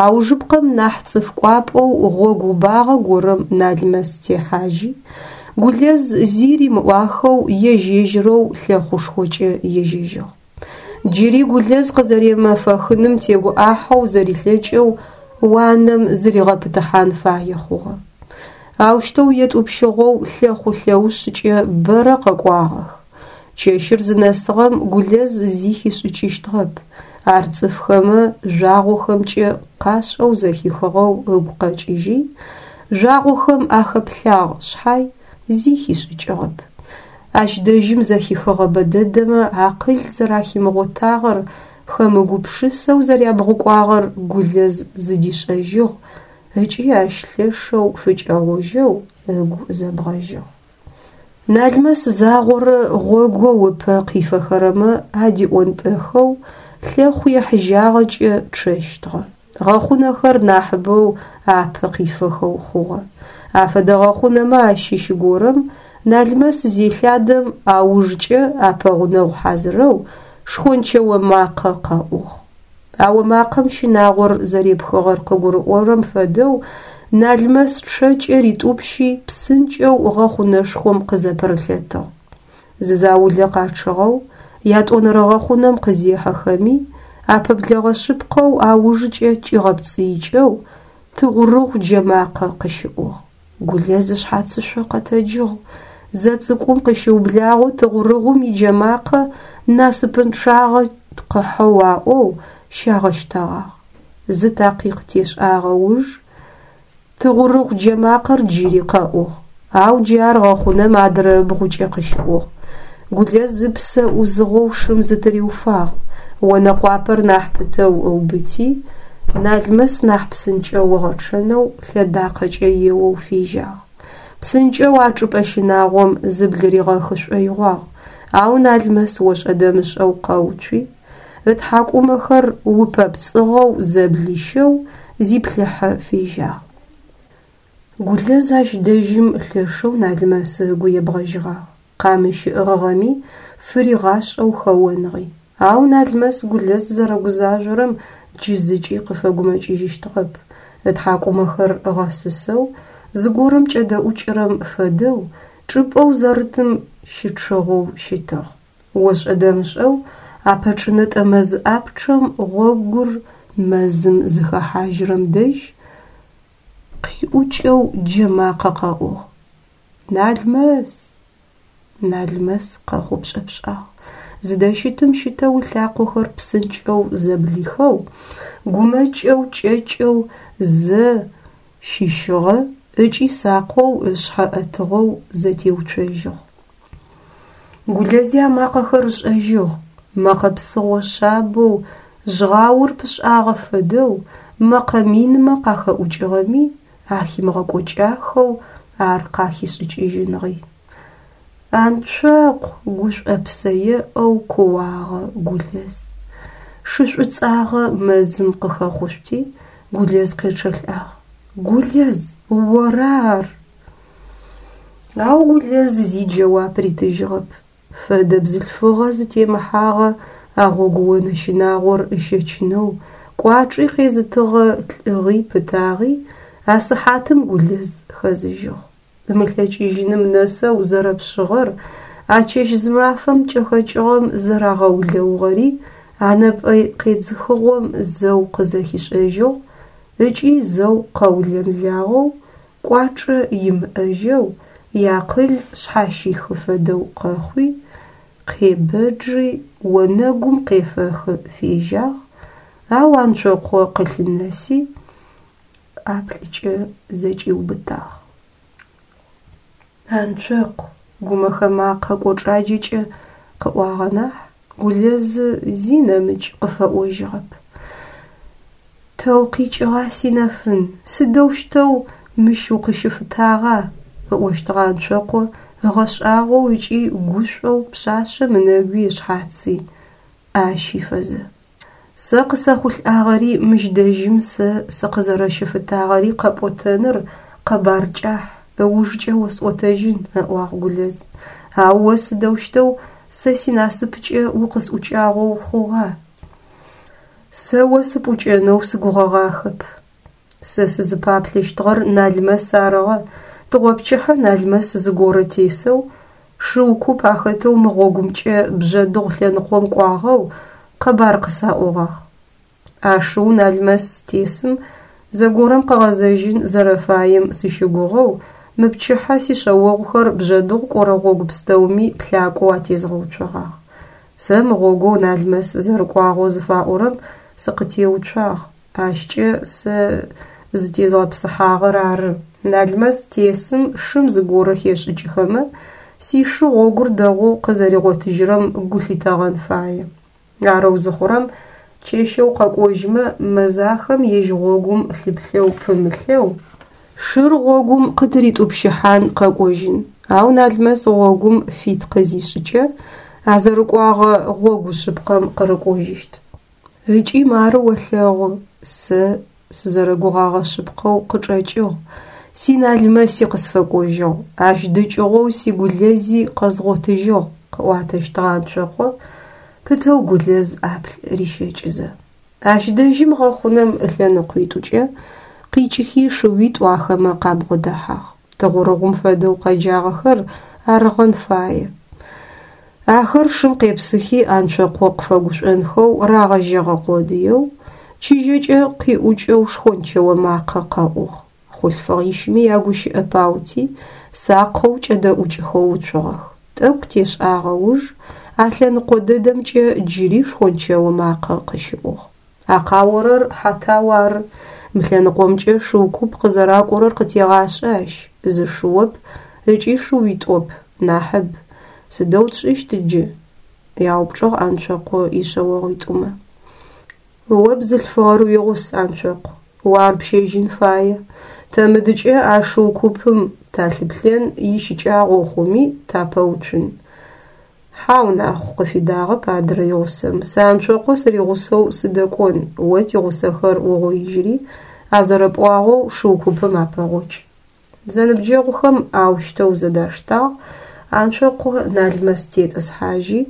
Аужыпкъэм нахь цӏыф кӏуапӏэу гъогу убагъэ горэм Налмэс техьажьи, Гулэз зи римыӏуахэу ежь-ежьырэу лъэхъушхокӏэ ежьэжьыгъ. Джыри Гулэз къызэремэфэхыным тегуӏахьэу зэрилъэкӏэу уанэм зыригъэпытыхьан фае хъугъэ. Аущтэу етӏупщыгъэу лъэхъу лъэушъкӏэ бэрэ къэкӏуагъэх. Чэщыр зынэсыгъэм Гулэз зи хишӏыкӏыщтыгъэп. Ар цӏыфхэмэ жъуагъохэмкӏэ къашӏэу зэхихыгъэу ыгу къэкӏыжьи, жъуагъохэм ахэплъагъ шъхьай зи хишӏыкӏыгъэп. Ащ дэжьым зэхихыгъэ бэдэдэмэ акъыл зэрахимыгъотагъэр, хэмыгупшысэу зэрябгъукӏуагъэр Гулэз зыдишӏэжьыгъ ыкӏи ащ лъэшэу фыкӏэгъожьэу ыгу зэбгъэжьыгъ. Налмэс загъорэ гъогоу ыпэ къифэхэрэмэ адиӏонтӏэхэу лъэхъу ехьыжьагъэкӏэ чъэщтыгъэ. Гъэхъунэхэр нахьыбэу апэ къифэхэу хъугъэ. Афэдэ гъэхъунэмэ ащыщ горэм Налмэс зелъадэм аужкӏэ апэгъунэгъу хьазырэу шхончэо макъэ къэӏугъ. А омакъэм щынагъор зэрепхыгъэр къыгурыӏорэм фэдэу Налмэс чъэкӏэ ритӏупщи псынкӏэу гъэхъунэшхом къызэпырылъэтыгъ. Зы заулэ къачъыгъэу ятӏонэрэ гъэхъунэм къызехьэхэми апэблэгъэ шъыпкъэу аужкӏэ кӏигъэпцӏыикӏэу тыгъурыгъу джэмакъэ къыщыӏугъ. Гулэз ышъхьацышъо къэтэджыгъ. Зэ цӏыкӏум къыщыублагъэу тыгъурыгъум иджэмакъэ насыпынчъагъэ къыхьэу аӏоу щагъэщтэгъагъ. Зы такъикъ тешӏагъэ уж тыгъурыгъу джэмакъэр джыри къэӏугъ. Ау джы ар гъэхъунэм адрэ ыбгъукӏэ къыщыӏугъ. Гулэз ыпсэ ӏузыгъэу шым зытыриуфагъ. Онэкъуапэр нахь пытэу ыубыти, Налмэс нахь псынкӏэу ыгъэчъэнэу лъэдакъэкӏэ еоу фежьагъ. Псынкӏэу а чӏыпӏэ щынагъом зыблыригъэхы шӏоигъуагъ, ау Налмэс ошӏэ-дэмышӏэу къэуцуи, ытхьакӏумэхэр упэпцӏыгъэу зэблищэу зиплъыхьэ фежьагъ. Гулэз ащ дэжьым лъэшэу Налмэс ыгу ебгъэжьыгъагъ. Къамыщ ыӏыгъыгъэми фыригъашӏэу хэоныгъи. Ау Налмэс Гулэз зэрэгузажъорэм джы зыкӏи къыфэгумэкӏыжьыщтыгъэп. Ытхьакӏумэхэр ыгъэсысэу, зыгорэм кӏэдэӏукӏырэм фэдэу чӏыпӏэу зэрытым щычъыгъэу щытыгъ. Ошӏэ-дэмышӏэу апэчӏынэтӏэ мэз ӏапчъэм гъогур мэзым зыхэхьажьырэм дэжь къиӏукӏэу джэмакъэ къэӏугъ. Налмэс! Налмэс къэхъупшӏэпшӏагъ. Зыдэщытым щытэу ылъакъохэр псынкӏэу зэблихэу, гумэкӏэу кӏэкӏэу зэ щыщыгъэ ыкӏи сакъэу ышъхьэ ӏэтыгъэу зэтеуцожьыгъ. Гулэзи а макъэхэр ышӏэжьыгъ. Мэкъэ псыгъо шъабэу, жъгъаур пышӏагъэ фэдэу, мэкъэ минмэ къахэӏукӏыгъэми ахимыгъэкӏокӏахэу ар къахишӏыкӏыжьыныгъи. Анцокъу гушӏопсэ еӏэу кууагъэ Гулэз. Шы шӏуцӏагъэ мэзым къыхэхъушъути, Гулэз къечъэлӏагъ. Гулэз, ора ар? Ау Гулэз зи джэуап ритыжьыгъэп. Фэдэ бзылъфыгъэ зытемыхьагъэ а гъогуонэ щынагъор ыщэчынэу кӏуачӏи къезытыгъэ лӏыгъи пытагъи а сыхьатым Гулэз хэзыжьыгъ. Ымылъэкӏыжьыным нэсэу зэрэпшъыгъэр, а чэщ-зымафэм кӏэхэкӏыгъэм зэрагъэулэугъэри а нэпӏэ къедзыхыгъом зэу къызэхишӏэжьыгъ ыкӏи зэу къэулэнлагъэу, кӏуачӏэ имыӏэжьэу, иакъыл шъхьащихы фэдэу къэхъуи, къебэджи онэгум къефэхы фежьагъ, ау Анцокъо къылъынэси, ӏаплӏыкӏэ зэкӏиубытагъ. Анцокъу, гумэхэ макъэ кӏочӏаджэкӏэ къыӏуагъэ нахь, Гулэз зи нэмыкӏ къыфэӏожьыгъэп. Тэ укъикӏыгъа, синэфын, сыдэущтэу мыщ укъыщыфытагъа? Ыӏощтыгъэ Анцокъо ыгъэшӏагъоу ыкӏи гушӏоу пшъашъэм ынэгуи ышъхьаци ӏэ ащифэзэ. Сэ къысэхъулӏагъэри мыщ дэжьым сэ сыкъызэрэщыфытагъэри къэпӏотэныр къэбар кӏахь, ыужкӏэ осӏотэжьын, ыӏуагъ Гулэз. Ау о сыдэущтэу сэ синасыпкӏэ укъысӏукӏагъэу хъугъа? Сэ о сыпӏукӏэнэу сыгугъэгъахэп. Сэ сызыпаплъэщтыгъэр Налмэс арыгъэ. Тыгъопчыхьэ Налмэс зыгорэ тесэу шыу куп ахэтэу мы гъогумкӏэ Бжъэдыгъу лъэныкъом кӏуагъэу къэбар къысаӏогъагъ. А шыу Налмэс тесым зэгорэм къыгъэзэжьын зэрэфаем сыщыгугъэу мы пчыхьэ сишъэогъухэр Бжъэдыгъу кӏорэ гъогу пстэуми плъакӏоу атезгъэуцогъагъ. Сэ мы гъогоу Налмэс зэрыкӏуагъэу зыфаӏорэм сыкъытеуцуагъ, ащкӏэ сэ зытезгъэпсыхьагъэр ары. Налмэс тесым шым зыгорэ хешӏыкӏыхэмэ, сишы гъогур дэгъоу къызэригъотыжьырэм гу лъытэгъэн фае. Арэу зыхъурэм чэщэу къэкӏожьмэ мэзахэм ежь гъогум лъыплъэу пымылъэу шыр гъогум къытыритӏупщыхьан къэкӏожьын. Ау Налмэс гъогум фит къызишӏыкӏэ, а зэрыкӏуагъэ гъогу шъыпкъэм къырыкӏожьыщт. Ыкӏи мары олъэгъу, сэ сызэрэгугъагъэ шъыпкъэу къычӏэкӏыгъ, си Налмэси къысфэкӏожьыгъ, ащ дыкӏыгъоу си Гулэзи къэзгъотыжьыгъ, къыӏуатэщтыгъэ Анцокъо, пытэу Гулэз ӏаплӏ рищэкӏызэ. Ащ дэжьым гъэхъунэм ылъэныкъуитӏукӏэ къикӏыхи шыуитӏу ахэмэ къабгъодэхьагъ. Тыгъурыгъум фэдэу къэджагъэхэр арыгъэн фае. Ахэр шым къепсыхи Анцокъо къыфэгушӏонхэу рагъэжьэгъэ къодыеу, чыжьэкӏэ къиӏукӏэу шхончэо макъэ къэӏугъ. Хъулъфыгъищми ягущыӏэ паути, сакъэу кӏэдэӏукӏхэу уцугъэх. Тӏэкӏу тешӏагъэ уж а лъэныкъо дэдэмкӏэ джыри шхончэо макъэ къыщыӏугъ. А къаорэр Хьатау ары. Мы лъэныкъомкӏэ шыу куп къызэракӏорэр къытегъашӏэ ащ, зы шыоп ыкӏи шыуитӏоп, нахьыб. Сыдэу тшӏыщт джы? Яупчӏыгъ Анцокъо ишъэогъуитӏумэ. О бзылъфыгъэр уигъус, Анцокъу, о ар пщэжьын фае. Тэ мыдыкӏэ а шыу купым талъыплъэн ищыкӏагъэу хъуми тапэуцун. Хьау, Нахъу, къыфидагъэп адрэ игъусэм. Сэ Анцокъо сыригъусэу сыдэкӏон, о тигъусэхэр угъоижьри, а зэрэпӏуагъэу шыу купым апэгъокӏ. Зэныбджэгъухэм аущтэу зэдаштагъ, Анцокъо Налмэс тетӏысхьажьи,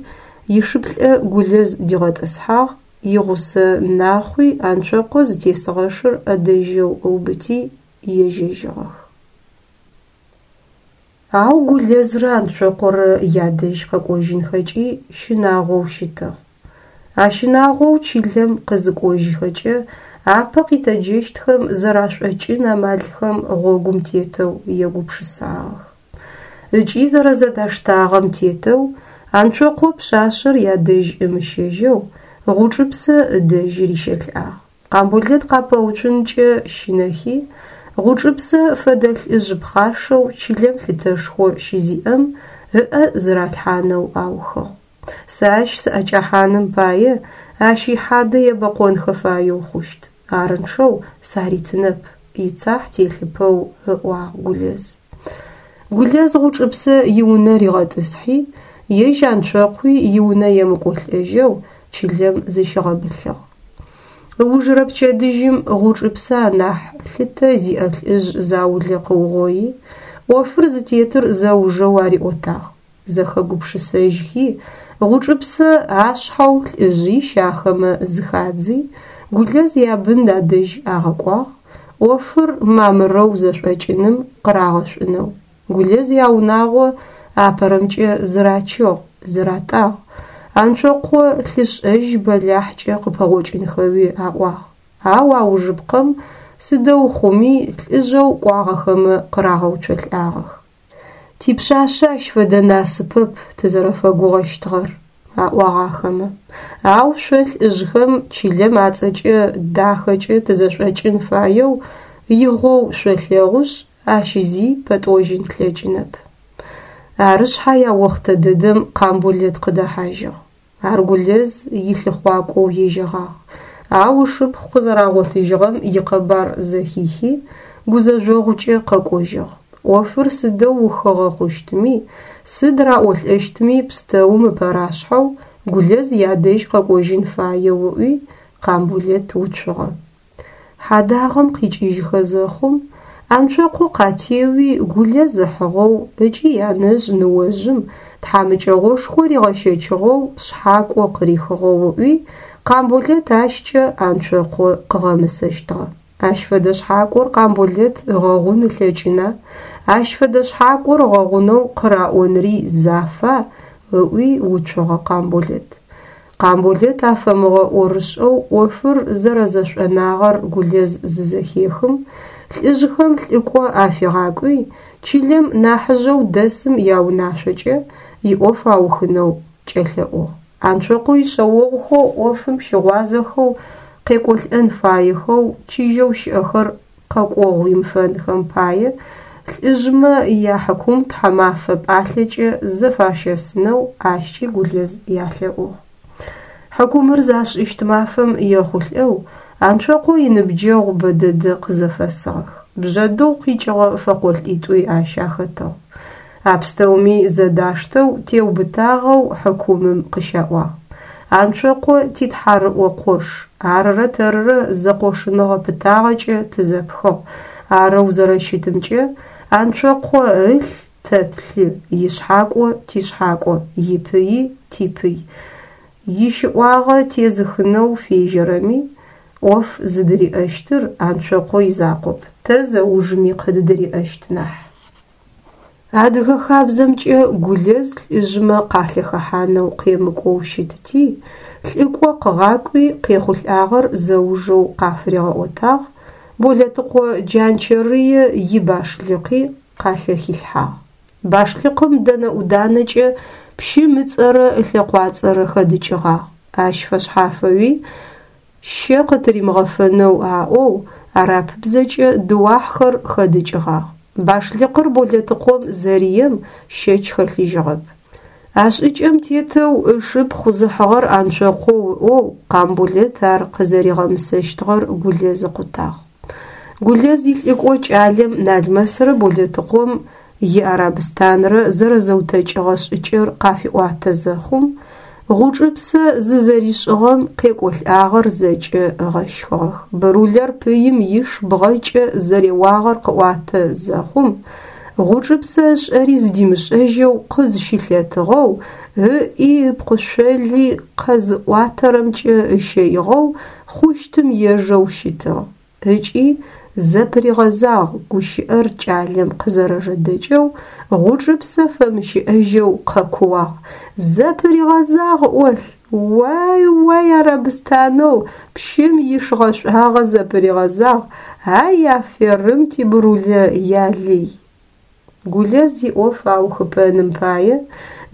ишыплӏэ Гулэз дигъэтӏысхьагъ, игъусэ Нахъуи Анцокъо зытесыгъэ шыр ӏэдэжьэу ыубыти ежьэжьыгъэх. Ау Гулэзрэ Анцокъорэ ядэжь къэкӏожьынхэкӏи щынагъоу щытыгъ. А щынагъоу чылэм къызыкӏожьхэкӏэ апэ къитэджэщтхэм зэрашӏокӏын амалхэм гъогум тетэу егупшысагъэх. Ыкӏи зэрэзэдаштагъэм тетэу Анцокъо пшъашъэр ядэжь ымыщэжьэу Гъучӏыпсэ ыдэжь рищэлӏагъ. Къамболэт къапэуцункӏэ щынэхи, Гъучӏыпсэ фэдэ лӏыжъ пхъашэу чылэм лъытэшхо щызиӏэм ыӏэ зыралъхьанэу аухыгъ. Сэ ащ сыӏэкӏэхьаным пае ащ ихьадэ ебэкъонхэ фаеу хъущт, арынчъэу саритынэп, ицахь телъыпэу ыӏуагъ Гулэз. Гулэз Гъучӏыпсэ иунэ ригъэтӏысхьи, ежь Анцокъуи иунэ емыкӏолӏэжьэу чылэм зыщигъэбылъыгъ. Ыужырэ пчэдыжьым Гъучӏыпсэ анахь лъытэ зиӏэ лӏыжъ заулэ къыугъои, ӏофыр зытетыр зэужэу ариӏотагъ. Зэхэгупшысэжьхи, Гъучӏыпсэ ашъхьэу лӏыжъищ ахэмэ зыхадзи, Гулэз ябын адэжь агъэкӏуагъ, ӏофыр мамырэу зэшӏокӏыным къырагъэшӏунэу. Гулэз яунагъо апэрэмкӏэ зырачыгъ, зыратӏагъ. Анцокъо лъышӏэжь бэлахькӏэ къыпэгъокӏынхэуи аӏуагъ. Ау аужыпкъэм сыдэу хъуми лӏыжъэу кӏуагъэхэмэ къырагъэуцолӏагъэх. Типшъашъэ ащ фэдэ насыпэп тызэрэфэгугъэщтыгъэр, аӏуагъ ахэмэ. Ау шъо лӏыжъхэм чылэм ацӏэкӏэ дахэкӏэ тызэшӏокӏын фаеу игъоу шъолъэгъушъ, ащ зи пэтӏожьын тлъэкӏынэп. Ары шъхьай а охътэ дэдэм Къамболэт къыдэхьажьыгъ. Ар Гулэз илъыхъуакӏоу ежьэгъагъ, ау ышыпхъу къызэрагъотыжьыгъэм икъэбар зэхихи, гузэжъогъукӏэ къэкӏожьыгъ. Ӏофыр сыдэу ухыгъэ хъущтми, сыд раӏолӏэщтми пстэум ыпэрашъхьэу Гулэз ядэжь къэкӏожьын фаеу ыӏуи, Къамболэт уцугъэ. Хьадагъэм къикӏыжьхэ зэхъум, Анцокъо къатеуи Гулэз ыхьыгъэу ыкӏи янэжъ ныожъым тхьамыкӏэгъошхо ригъэщэчыгъэу шъхьакӏо къырихыгъэу ыӏуи, Къамболэт ащкӏэ Анцокъо къыгъэмысэщтыгъэ. Ащ фэдэ шъхьакӏор Къамболэт ыгъэгъун ылъэкӏына, ащ фэдэ шъхьакӏор ыгъэгъунэу къыраӏонри зафа ыӏуи уцугъэ Къамболэт. Къамболэт афэмыгъэӏорышӏэу ӏофыр зэрэзэшӏонагъэр Гулэз зызэхехым, лӏыжъхэм лӏыкӏо афигъакӏуи, чылэм нахьыжъэу дэсым яунашъокӏэ иӏоф аухынэу кӏэлъэӏугъ. Анцокъо ишъэогъухэу ӏофым щыгъуазэхэу къекӏолӏэн фаехэу чыжьэу щыӏэхэр къэкӏогъу имыфэнхэм пае лӏыжъмэ яхьыкум тхьэмафэ пӏалъэкӏэ зэфащэсынэу ащкӏи Гулэз ялъэӏугъ. Хьыкумыр зашӏыщт мафэм ехъулӏэу Анцокъо иныбджэгъу бэдэдэ къызэфэсыгъэх. Бжъэдыгъу къикӏыгъэ фэкъолӏитӏуи ащ ахэтыгъ. А пстэуми зэдаштэу теубытагъэу хьыкумым къыщаӏуагъ. Анцокъо титхьарыӏо къош, арырэ тэрырэ зэкъошыныгъэ пытагъэкӏэ тызэпхыгъ, арэу зэрэщытымкӏэ Анцокъо ылъ тэ тлъы, ишъхьакӏо тишъхьакӏо, ипыи типый. Ищыӏуагъэ тезыхынэу фежьэрэми ӏоф зыдыриӏэщтыр Анцокъо изакъоп, тэ зэужми къыддыриӏэщт нахь. Адыгэ хабзэмкӏэ Гулэз лӏыжъмэ къалъэхэхьанэу къемыкӏоу щытти, лӏыкӏо къыгъакӏуи къехъулӏагъэр зэужэу къафыригъэӏотагъ, Болэтыкъо Джанчэрые ибашлыкъи къалъэхилъхьагъ. Башлыкъым дэнэ ӏуданэкӏэ пщым ыцӏэрэ ылъэкъуацӏэрэ хэдыкӏыгъагъ. Ащ фэшъхьафэуи щэ къытыримыгъэфэнэу аӏоу арапыбзэкӏэ дыуахьхэр хэдыкӏыгъагъ. Башлыкъыр Болэтыкъом зэрием щэч хэлъыжьыгъэп. А шӏыкӏэм тетэу ышыпхъу зыхьыгъэр Анцокъоу ыӏоу Къамболэт ар къызэригъэмысэщтыгъэр Гулэз ыкъутагъ. Гулэз илӏыкӏо кӏалэм Налмэсрэ Болэтыкъом иарабыстанрэ зэрэзэутэкӏыгъэ шӏыкӏэр къафиӏуатэ зэхъум, Гъучӏыпсэ зызэришӏыгъэм къекӏолӏагъэр зэкӏэ ыгъэщхыгъэх. Бырулэр пыим иш бгъэкӏэ зэреуагъэр къыӏуатэ зэхъум, Гъучӏыпсэ ышӏэри зыдимышӏэжьэу къызщылъэтыгъэу, ыӏи ыпкъышъоли къэзыӏуатэрэмкӏэ ыщэигъэу хъущтым ежэу щытыгъ. Ыкӏи зэпыригъэзагъ гущыӏэр кӏалэм къызэрэжэдэкӏэу Гъучӏыпсэ фэмыщыӏэжьэу къэкууагъ: «Зэпыригъэзагъ ӏолъ! Уай-уай арабыстанэу пщым иш гъэшӏуагъэ зэпыригъэзагъ, ай аферым ти Брулэ ялый!» Гулэз иӏоф аухыпэным пае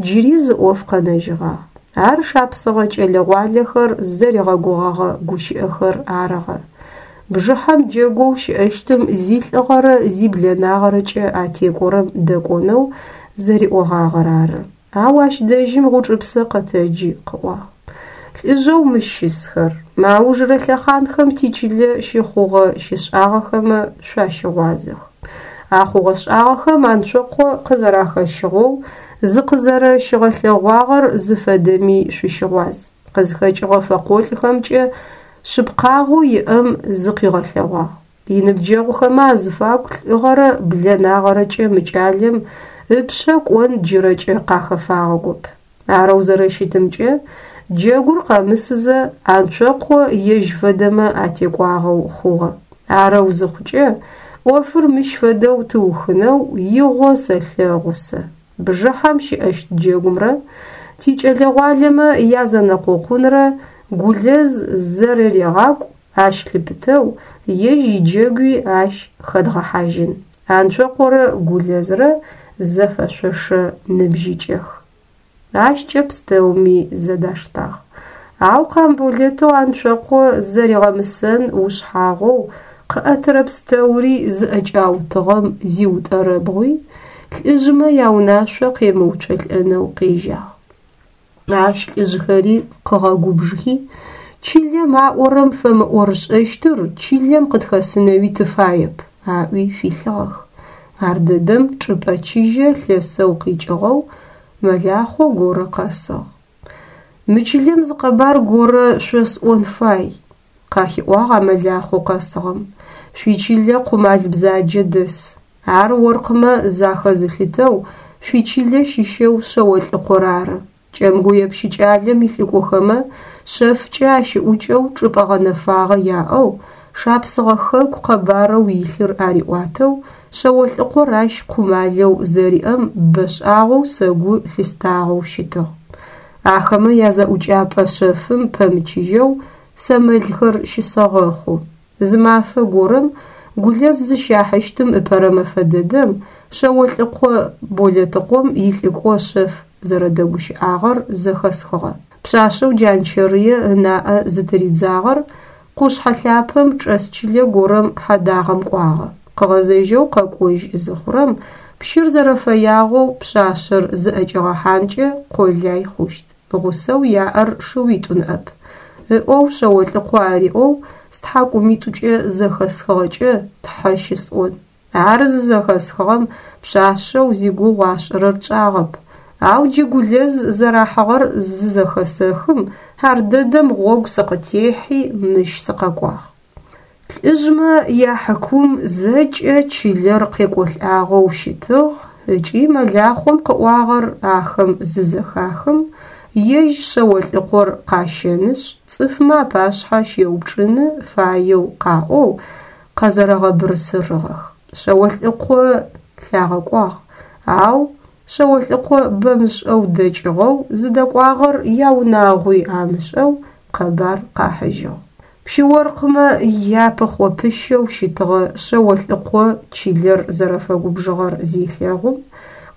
джыри зы ӏоф къэнэжьыгъагъ. Ар шапсыгъэ кӏэлэ-гъуалэхэр зэригъэгугъэгъэ гущыӏэхэр арыгъэ. Бжыхьэм джэгоу щыӏэщтым зилӏыгъэрэ зиблэнагъэрэкӏэ атекӏорэм дэкӏонэу зэриӏогъагъэр ары. Ау ащ дэжьым Гъучӏыпсэ къэтэджи къыӏуагъ: «Лӏыжъэу мыщ щысхэр, мы аужрэ лъэхъанхэм тичылэ щыхъугъэ-щышӏагъэхэмэ шъуащыгъуазэх. А хъугъэ-шӏагъэхэм Анцокъо къызэрахэщыгъэу зыкъызэрэщыгъэлъэгъуагъэр зыфэдэми шъущыгъуаз. Къызхэкӏыгъэ фэкъолӏхэмкӏэ шъыпкъагъэу иӏэм зыкъигъэлъэгъуагъ. Иныбджэгъухэмэ азыфагу лӏыгъэрэ блэнагъэрэкӏэ мы кӏалэм ыпшъэ кӏон джырэкӏэ къахэфагъэгоп. Арэу зэрэщытымкӏэ, джэгур къэмысызэ Анцокъо ежь фэдэмэ атекӏуагъэу хъугъэ. Арэу зыхъукӏэ, ӏофыр мыщ фэдэу тыухынэу игъо сэлъэгъу сэ. Бжыхьэм щыӏэщт джэгумрэ тикӏэлэ-гъуалэмэ язэнэкъокъунрэ Гулэз зэрэрегъакӏу, ащ лъыпытэу ежь иджэгуи ащ хэдгъэхьажьын. Анцокъорэ Гулэзрэ зэфэшъошэ ныбжьыкӏэх». Ащкӏэ пстэуми зэдаштагъ. Ау Къамболэтэу Анцокъо зэригъэмысэн ушъхьагъоу къыӏэтырэ пстэури зыӏэкӏаутыгъэм зиутӏэрэбгъуи, лӏыжъмэ яунашъо къемыуцолӏэнэу къежьагъ. Ащ лӏыжъхэри къыгъэгубжыхи, чылэм аӏорэм фэмыӏорышӏэщтыр чылэм къытхэсынэуи тыфаеп, аӏуи филъыгъэх. Ардэдэм чӏыпӏэ чыжьэ лъэсэу къикӏыгъэу мэлахъо горэ къэсыгъ. «Мы чылэм зы къэбар горэ шъосӏон фай», – къахиӏуагъ а мэлахъоу къэсыгъэм. «Шъуичылэ къумал бзаджэ дэс. Ар оркъмэ захэзылъытэу шъуичылэ щыщэу Шъэолӏыкъор ары. Кӏэмгуе пщыкӏалэм илӏыкӏохэмэ шъэфкӏэ ащыӏукӏэу чӏыпӏэ гъэнэфагъэ яӏэу, Шапсыгъэ хэку къэбарэу илъыр ариӏуатэу Шъэолӏыкъор ащ къумалэу зэриӏэм бэшӏагъэу сэ гу лъыстагъэу щытыгъ. Ахэмэ язэӏукӏапӏэ шъэфым пэмычыжьэу сэ мэлхэр щысэгъэхъу. Зы мафэ горэм, Гулэз зыщахьыщтым ыпэрэ мэфэ дэдэм, Шъэолӏыкъо Болэтыкъом илӏыкӏо шъэф зэрэдэгущыӏагъэр зэхэсхыгъэ. Пшъашъэу Джанчэрые ынаӏэ зытыридзагъэр къушъхьэ лъапэм чӏэс чылэ горэм хьэдагъэм кӏуагъэ. Къыгъэзэжьэу къэкӏожь зыхъурэм, пщыр зэрэфэягъэу пшъашъэр зыӏэкӏигъэхьанкӏэ къолай хъущт, гъусэу яӏэр шыуитӏу ныӏэп, ыӏоу Шъэолӏыкъо ариӏоу стхьакӏумитӏукӏэ зэхэсхыгъэкӏэ тхьэ щысӏон. Ар зызэхэсхыгъэм пшъашъэу зигугъу ашӏырэр тшӏагъэп, ау джы Гулэз зэрахьыгъэр зызэхэсэхым, ардэдэм гъогу сыкъытехьи мыщ сыкъэкӏуагъ. Лӏыжъмэ яхьыкум зэкӏэ чылэр къекӏолӏагъэу щытыгъ ыкӏи мэлахъом къыӏуагъэр ахэм зызэхахым, ежь Шъэолӏыкъор къащэнышъ, цӏыфмэ апашъхьэ щеупчӏыны фаеу къаӏоу къэзэрэгъэбырсырыгъэх. Шъэолӏыкъо лъагъэкӏуагъ, ау Шъэолӏыкъо бэмышӏэу дэкӏыгъэу, зыдэкӏуагъэр яунагъуи амышӏэу къэбар къахьыжьыгъ. Пщы-оркъмэ япыхъо-пыщэу щытыгъэ Шъэолӏыкъо чылэр зэрэфэгубжыгъэр зелъэгъум,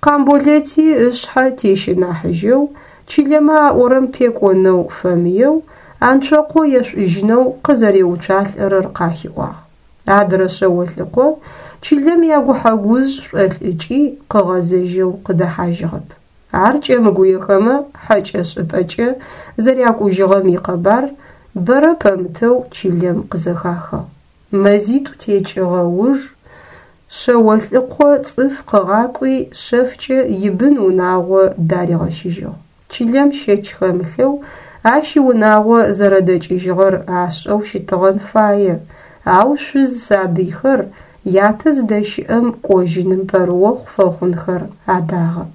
Къамболэти ышъхьэ тещынахьыжьэу, чылэмэ аӏорэм пекӏонэу фэмыеу, Анцокъо ешӏужьынэу къызэреуцуалӏэрэр къахиӏуагъ. Адрэ Шъэолӏыкъо чылэм ягухьэ-гужъ шӏолӏыкӏи къыгъэзэжьэу къыдэхьажьыгъэп. Ар кӏэмгуехэмэ хьэкӏэ шӏыпӏэкӏэ зэрякӏужьыгъэм икъэбар бэрэ пэмытэу чылэм къызэхахыгъ. Мэзитӏу текӏыгъэ уж Шъэолӏыкъо цӏыф къыгъакӏуи шъэфкӏэ ибын-унагъо даригъэщыжьыгъ. Чылэм щэч хэмылъэу ащ иунагъо зэрэдэкӏыжьыгъэр ашӏэу щытыгъэн фае, ау шъуз-сабыйхэр ятэ зыдэщыӏэм кӏожьыным пэрыохъу фэхъунхэр адагъэп.